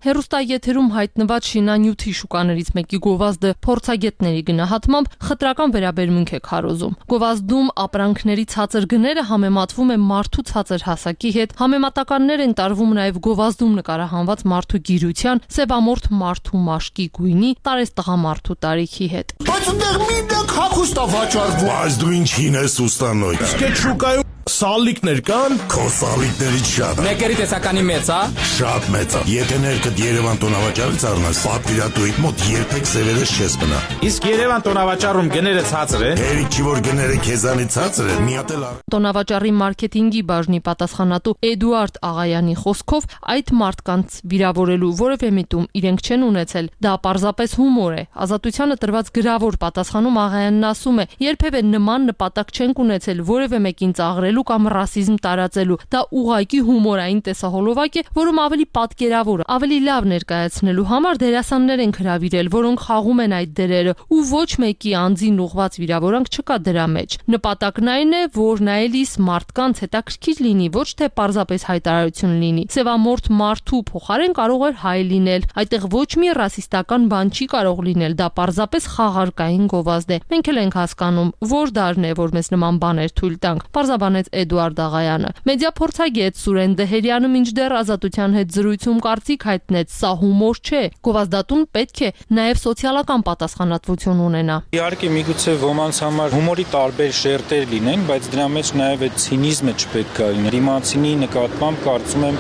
Հեռուստաեթերում հայտնված շինանյութի շուկաներից մեկի գովազդը փորձագետների գնահատմամբ խտրական վերաբերմունք է քարոզում։ Գովազդում ապրանքների ցածր գները համեմատվում է մարդու ցածր հասակի հետ, համեմատականներ են տարվում նաև գովազդում նկարահանված մարդու գիրության, սևամորթ մարդու մաշկի գույնի, տարես տղամարդու տարիքի հետ։ Բայց ուտեղ մի դակ հագուստ է վաճառվում։ Բայց դու ինչին ես ուստանոյ։ Իսկ այդ շուկայում սալիկներ կան։ Քո սալիկներից շատ։ Մեկերի տեսականի մեծ, հա։ Շատ մեծ է։ Եթե ներքդ Երևան տոնավաճառից առնաս, պատվիրատուի մոտ երբեք սևերես չես մնա։ Իսկ Երևան տոնավաճառում գները ցածր է։ Հերիք չի որ գները քեզանից ցածր է, մի հատ էլ առ։ Տոնավաճառի մարքեթինգի բաժնի պատասխանատու Էդուարդ Աղայանի խոսքով այդ մարդկանց վիրավորելու որևէ միտում իրենք չեն ունեցել։ Դա պարզապես հումոր է։ Ազատությանը տրված գրավոր պատասխանում Աղայանն ասում է. երբևէ նման նպատակ չենք ունեցել որևէ մեկին ծաղրել կամ ռասիզմ տարածելու, դա ուղղակի հումորային տեսահոլովակ է, որում ավելի պատկերավոր, ավելի լավ ներկայացնելու համար դերասաններ են հրավիրել, որոնք խաղում են այդ դերերը, ու ոչ մեկի անձին ուղղված վիրավորանք չկա դրա մեջ։ Նպատակն այն է, որ նայելիս մարդկանց հետաքրքիր լինի, ոչ թե պարզապես հայտարարություն լինի։ Սևամորթ մարդու փոխարեն կարող էր հայ լինել, այդտեղ ոչ մի ռասիստական բան չի կարող լինել, դա պարզապես խաղարկային գովազդ է։ Մենք էլ ենք հասկանում, որ դարն է, որ մեզ նման բաներ թույլ տանք։ Պարզաբանեց պատասխանեց Էդուարդ Աղայանը։ Մեդիա փորձագետ Սուրեն Դեհերյանը մինչդեռ Ազատության հետ զրույցում կարծիք հայտնեց, սա հումոր չէ։ Գովազդատուն պետք է նաև սոցիալական պատասխանատվություն ունենա։ Իհարկե միգուցե ոմանց համար հումորի տարբեր շերտեր լինեն, բայց դրա մեջ նաև այդ ցինիզմը չպետք է լինի։ Դիմացինի նկատմամբ կարծում եմ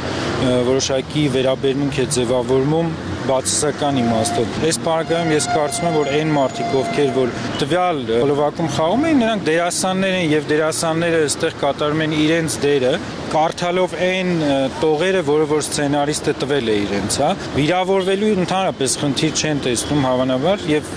որոշակի վերաբերմունք է ձևավորվում բացասական իմաստով։ Այս բaragայում ես կարծում եմ, որ այն մարդիկ, ովքեր որ տվյալ խլովակում խաղում են, նրանք դերասաններ են եւ դերասանները այստեղ կատարում են իրենց դերը, կարդալով այն տողերը, որը որ սցենարիստը տվել է իրենց, հա։ Վիրավորվելու ընդհանրապես խնդիր չեն տեսնում հավանաբար եւ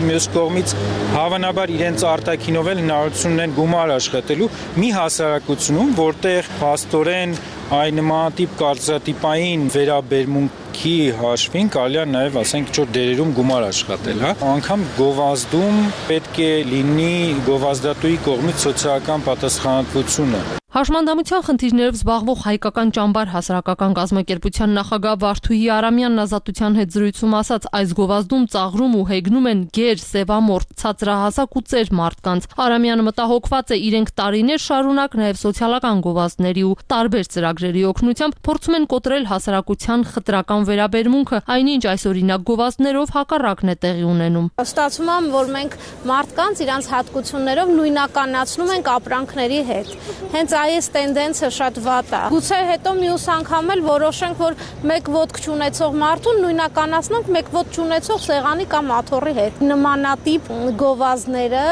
մյուս կողմից հավանաբար իրենց արտաքինով էլ հնարավորություն ունեն գումար աշխատելու մի հասարակությունում, որտեղ փաստորեն այն նմանատիպ կարծրատիպային վերաբերմունքի հաշվին կարելի է նաև ասենք ինչ-որ դերերում գումար աշխատել, հա։ Անկամ գովազդում պետք է լինի գովազդատուի կողմից սոցիալական պատասխանատվությունը։ Հաշմանդամության խնդիրներով զբաղվող հայկական ճամբար հասարակական կազմակերպության նախագահ Վարդուհի Արամյանն Ազատության հետ զրույցում ասաց, այս գովազդում ծաղրում ու հեգնում են գեր, սևամորթ, ցածրահասակ ու ծեր մարդկանց։ Արամյանը մտահոգված է, իրենք տարիներ շարունակ նաև սոցիալական գովազդների ու տարբեր ծրագրերի օգնությամբ փորձում են կոտրել հասարակության խտրական վերաբերմունքը, այնինչ այսօրինակ գովազդներով հակառակն է տեղի ունենում։ Ստացվում է, որ մենք մարդկանց իրանց հատկություններով նույնականացնում ենք ապրանքների հետ։ Հենց այս տենդենսը շատ վատ է։ Գուցե հետո մյուս անգամ էլ որոշենք, որ մեկ ոտք չունեցող մարդուն նույնականացնենք մեկ ոտք չունեցող սեղանի կամ աթոռի հետ։ Նմանատիպ գովազդները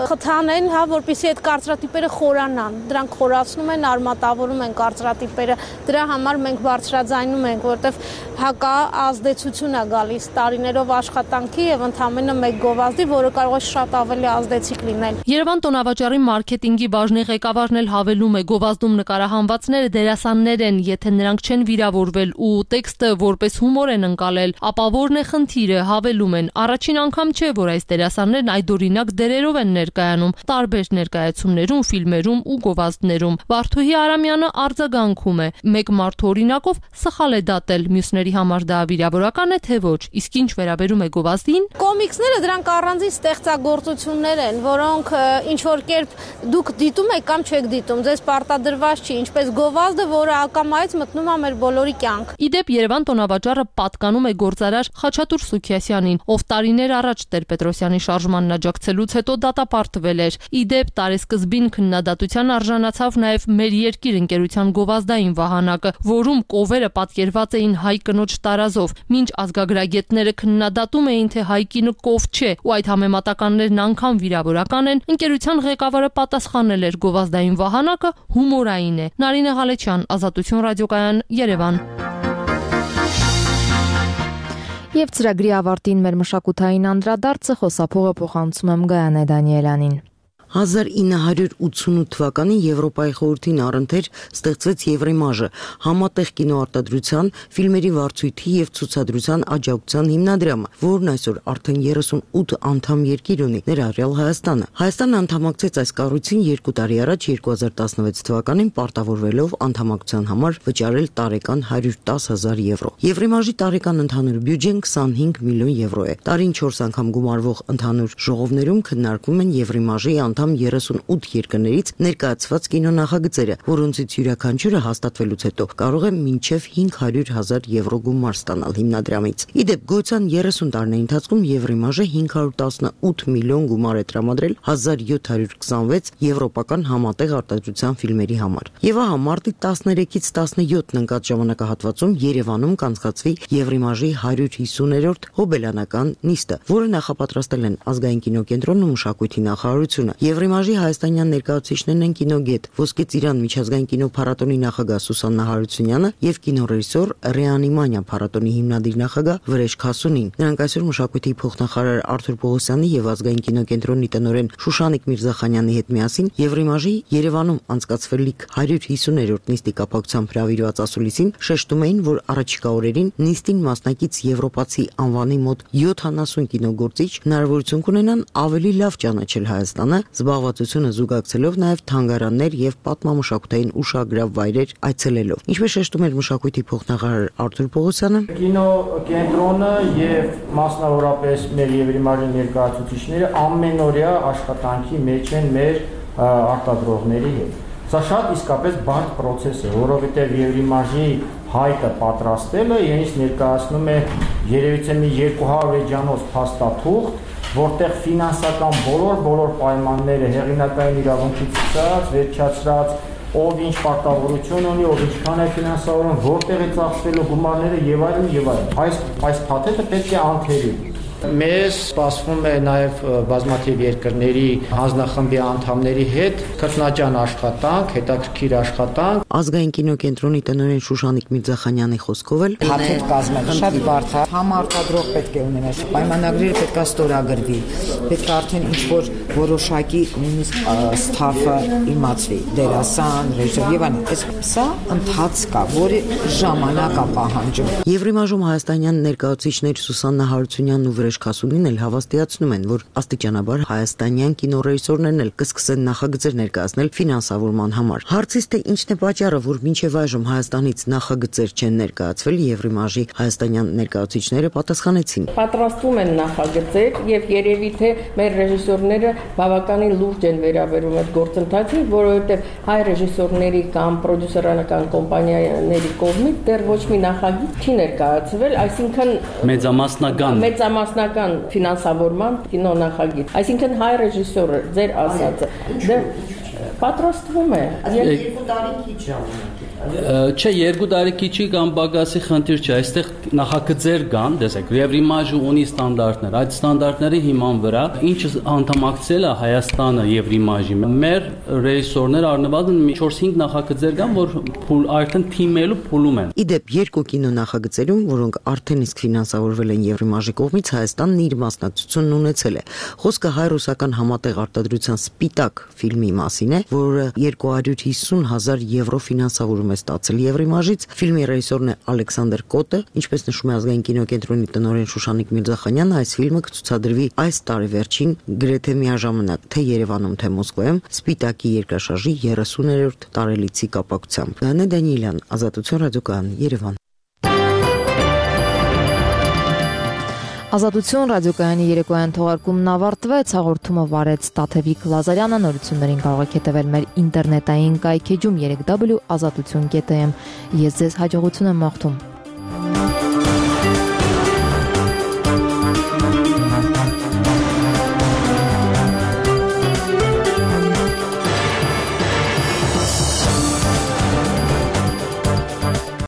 խթանեն, հա, որպեսզի այդ կարծրատիպերը խորանան։ Դրանք խորացնում են, արմատավորում են կարծրատիպերը։ Դրա համար մենք բարձրաձայնում ենք, որովհետև հակա ազդեցություն է գալիս տարիներով աշխատանքի եւ ընդամենը մեկ գովազդի, որը կարող է շատ ավելի ազդեցիկ լինել։ Երևան տոնավաճառի մարքեթինգի բաժնի ղեկավարն էլ հավելում է, գովազդում նկարահանվածները դերասաններ են, եթե նրանք չեն վիրավորվել ու տեքստը որպես հումոր են ընկալել, ապա որն է խնդիրը, հավելում են։ Առաջին անգամ չէ, որ այս դերասաններն այդօրինակ դերերով են ներկայանում տարբեր ներկայացումներում, ֆիլմերում ու գովազդներում։ Վարդուհի Արամյանը արձագանքում է, մեկ մարդու օրինակով սխալ է դատել, մյուսների համար դա վիրավորական է թե ոչ, իսկ ինչ վերաբերում է գովազդին։ Կոմիքսները դրանք առանձին ստեղծագործություններ են, որոնք ինչ որ կերպ դուք դիտում եք կամ չեք դիտում, ձեզ պարտադրված չի, ինչպես գովազդը, որը ակամայից մտնում է մեր բոլորի կյանք։ Իդեպ Երևան տոնավաճառը պատկանում է գործարար Խաչատուր Սուքիասյանին, ով տարիներ առաջ Տեր-Պետրոսյանի շարժմանն աջակցելուց հետո դատապարտվել էր։ Իդեպ տարեսկզբին քննադատության արժանացավ նաև Մեր երկիր ընկերության գովազդային վահանակը, որում կովերը պատկերված էին հայ կնոջ տարազով, մինչ ազգագրագետները քննադատում էին, թե հայ կինը կով չէ, ու այդ համեմատականներն անգամ վիրավորական են, ընկերության ղեկավարը պատասխանել էր գովազդային վահանակը հումորային է։ Նարինե Ղալեչյան, Ազատություն ռադիոկայան, Երևան։ Եվ ծրագրի ավարտին մեր մշակութային անդրադարձը խոսափողը փոխանցում եմ Գայանե Դանիելյանին։ հազար ինը հարյուր ութսունութ թվականին Եվրոպայի խորհրդին առընթեր ստեղծվեց Եվրեմաժը, համատեղ կինոարտադրության, ֆիլմերի վարձույթի եւ ցուցադրության աջակցության հիմնադրամը, որն այսօր արդեն երեսունութ անդամ երկիր ունի, ներառյալ Հայաստանը։ Հայաստանը անդամակցեց այս կառույցին երկու տարի առաջ երկու հազար տասնվեց թվականին պարտավորվելով անդամակցության համար վճարել տարեկան հարյուր տասը հազար եվրո։ Եվրեմաժի տարեկան ընդհանուր բյուջեն քսանհինգ միլիոն եվրո է։ Տարին չորս անգամ գումարվող ընդհանուր ժողովներում քննարկվում են Եվրեմաժի անդամ երեսունութ երկրներից ներկայացված կինոնախագծերը, որոնցից յուրաքանչյուրը հաստատվելուց հետո կարող է մինչև հինգ հարյուր հազար եվրո գումար ստանալ հիմնադրամից։ Իդեպ գոյության երեսուն տարիների ընթացքում Եվրեմաժը հինգ հարյուր տասնութ միլիոն գումար է տրամադրել հազար յոթ հարյուր քսանվեց եվրոպական համատեղ արտադրության ֆիլմերի համար։ Եվ ահա մարտի տասներեքից տասնյոթն ընկած ժամանակահատվածում Երևանում կանցկացվի Եվրեմաժի հարյուր հիսուներորդ հոբելյանական նիստը, որը նախապատրաստել են Ազգային կինոկենտրոնն ու մշակույթի նախարարությունը։ Եվրեմաժի հայաստանյան ներկայացուցիչներն են կինոգետ, Ոսկե ծիրան միջազգային կինոփառատոնի նախագահ Սուսաննա Հարությունյանը եւ կինոռեժիսոր Ռեանիմանիա փառատոնի հիմնադիր նախագահ Վրեժ Քասունին։ Նրանք այսօր մշակույթի փոխնախարար Արթուր Պողոսյանի եւ Ազգային կինոկենտրոնի տնօրեն Շուշանիկ Միրզախանյանի հետ միասին Եվրեմաժի Երևանում անցկացվելիք հարյուր հիսուներորդ նիստի կապակցությամբ հրավիրված ասուլիսին շեշտում էին, որ առաջիկա օրերին նիստին մասնակից եվրոպացի անվանի մոտ յոթանասուն կինոգործիչ հնարավորություն կունենան ավելի լավ ճանաչել Հայաստանը, զբաղվածությունը զուգակցելով նաև թանգարաններ եւ պատմամշակութային ուշագրավ վայրեր այցելելով։ Ինչպես շեշտում էր մշակույթի փոխնախարար Արթուր Պողոսյանը, կինոկենտրոնը եւ մասնավորապես մեր Եվրեմաժի ներկայացուցիչները ամենօրյա աշխատանքի մեջ են մեր արտադրողների հետ։ Սա շատ իսկապես բարդ process է, որովհետև Եվրիմաժի հայտը պատրաստելը իրենից ներկայացնում է երևիցե մի երկու հարյուր էջանոց փաստաթուղթ, որտեղ ֆինանսական բոլոր բոլոր պայմանները հեղինակային իրավունքից սկսած, վերջացրած, ով ինչ պարտավորություն ունի, ով ինչքան է ֆինանսավորում, որտեղ է ծախսվելու գումարները եւ այլն եւ այլն։ Այս այս փաթեթը պետք է անթերի։ Մեզ սպասվում է նաև բազմաթիվ երկրների հանձնախմբի անդամների հետ քրտնաջան աշխատանք, հետաքրքիր աշխատանք։ Ազգային կինոկենտրոնի տնօրեն Շուշանիկ Միրզախանյանի խոսքով էլ փաթեթ կազմել շատ բարդ է։ Համարտադրող պետք է ունենալ, պայմանագրերը պետք է ստորագրվի, պետք է արդեն ինչ-որ որոշակի նույնիսկ ստաֆը իմացվի, դերասան, ռեժիսոր եւ այլն։ Սա ընթացք է, որը ժամանակ է պահանջում։ Եվրիմաժում հայաստանյան ներկայացուցիչներ Սուսաննա Հարությունյանն ու Վրեժ Քասունին էլ հավաստիացնում են, որ աստիճանաբար հայաստանյան կինոռեժիսորներն էլ կսկսեն նախագծեր ներկայացնել ֆինանսավորման համար։ Հարցից թե ինչն է պատճառը, որ մինչև այժմ Հայաստանից նախագծեր չեն ներկայացվել, Եվրիմաժի հայաստանյան ներկայացուցիչները պատասխանեցին։ Պատրաստվում են նախագծեր եւ երևի թե մեր ռեժիսորները բավականին լուրջ են վերաբերում այդ գործընթացին, որովհետեւ հայ ռեժիսորների կամ պրոդյուսերական կոմպանիաների կողմից դեռ ոչ մի նախագիծ չի ներկայացվել, այսինքն մեծամասնական մեծամասնական ֆինանսավորման կինո նախագիծ, այսինքն հայ ռեժիսորը ձեր ասածը դեռ պատրաստվում է երկու տարի քիչ ժամանակ Չէ, երկու տարի քիչի կամ բագասի խնդիր չէ, այստեղ նախագծեր կան, տեսեք, Եվրիմաժը ունի ստանդարտներ, այդ ստանդարտների հիման վրա ինչ անդամակցել է Հայաստանը Եվրիմաժի, մեր ռեժիսորները առնվազն չորս-հինգ նախագծեր կան, որ արդեն թիմելու փուլում են։ Իդեպ երկու կինո նախագծերում, որոնք արդեն իսկ ֆինանսավորվել են Եվրիմաժի կողմից, Հայաստանն իր մասնակցությունն ունեցել է։ Խոսքը հայ-ռուսական համատեղ արտադրության Սպիտակ ֆիլմի մասին է, որը երկու հարյուր հիսուն հազար եվրո ֆինանսավորում է ստացել Եվրիմաժից։ Ֆիլմի ռեժիսորն է Ալեքսանդր Կոտը, ինչպես նշում է Ազգային կինոկենտրոնի տնօրեն Շուշանիկ Միրզախանյանը, այս ֆիլմը կցուցադրվի այս տարի վերջին գրեթե միաժամանակ թե Երևանում, թե Մոսկվայում Սպիտակի երկրաշարժի երեսուներորդ տարելիցի կապակցությամբ։ Նանե Դանիելյան, Ազատություն ռադիոկայան, Երևան։ Ազատություն ռադիոկայանի երեկոյան թողարկումն ավարտվեց, հաղորդումը վարեց Տաթևիկ Լազարյանը, նորություններին կարող եք հետևել մեր ինտերնետային կայքեջում երեք w ազատություն կետ am։ Ես ձեզ հաջողություն եմ մաղթում։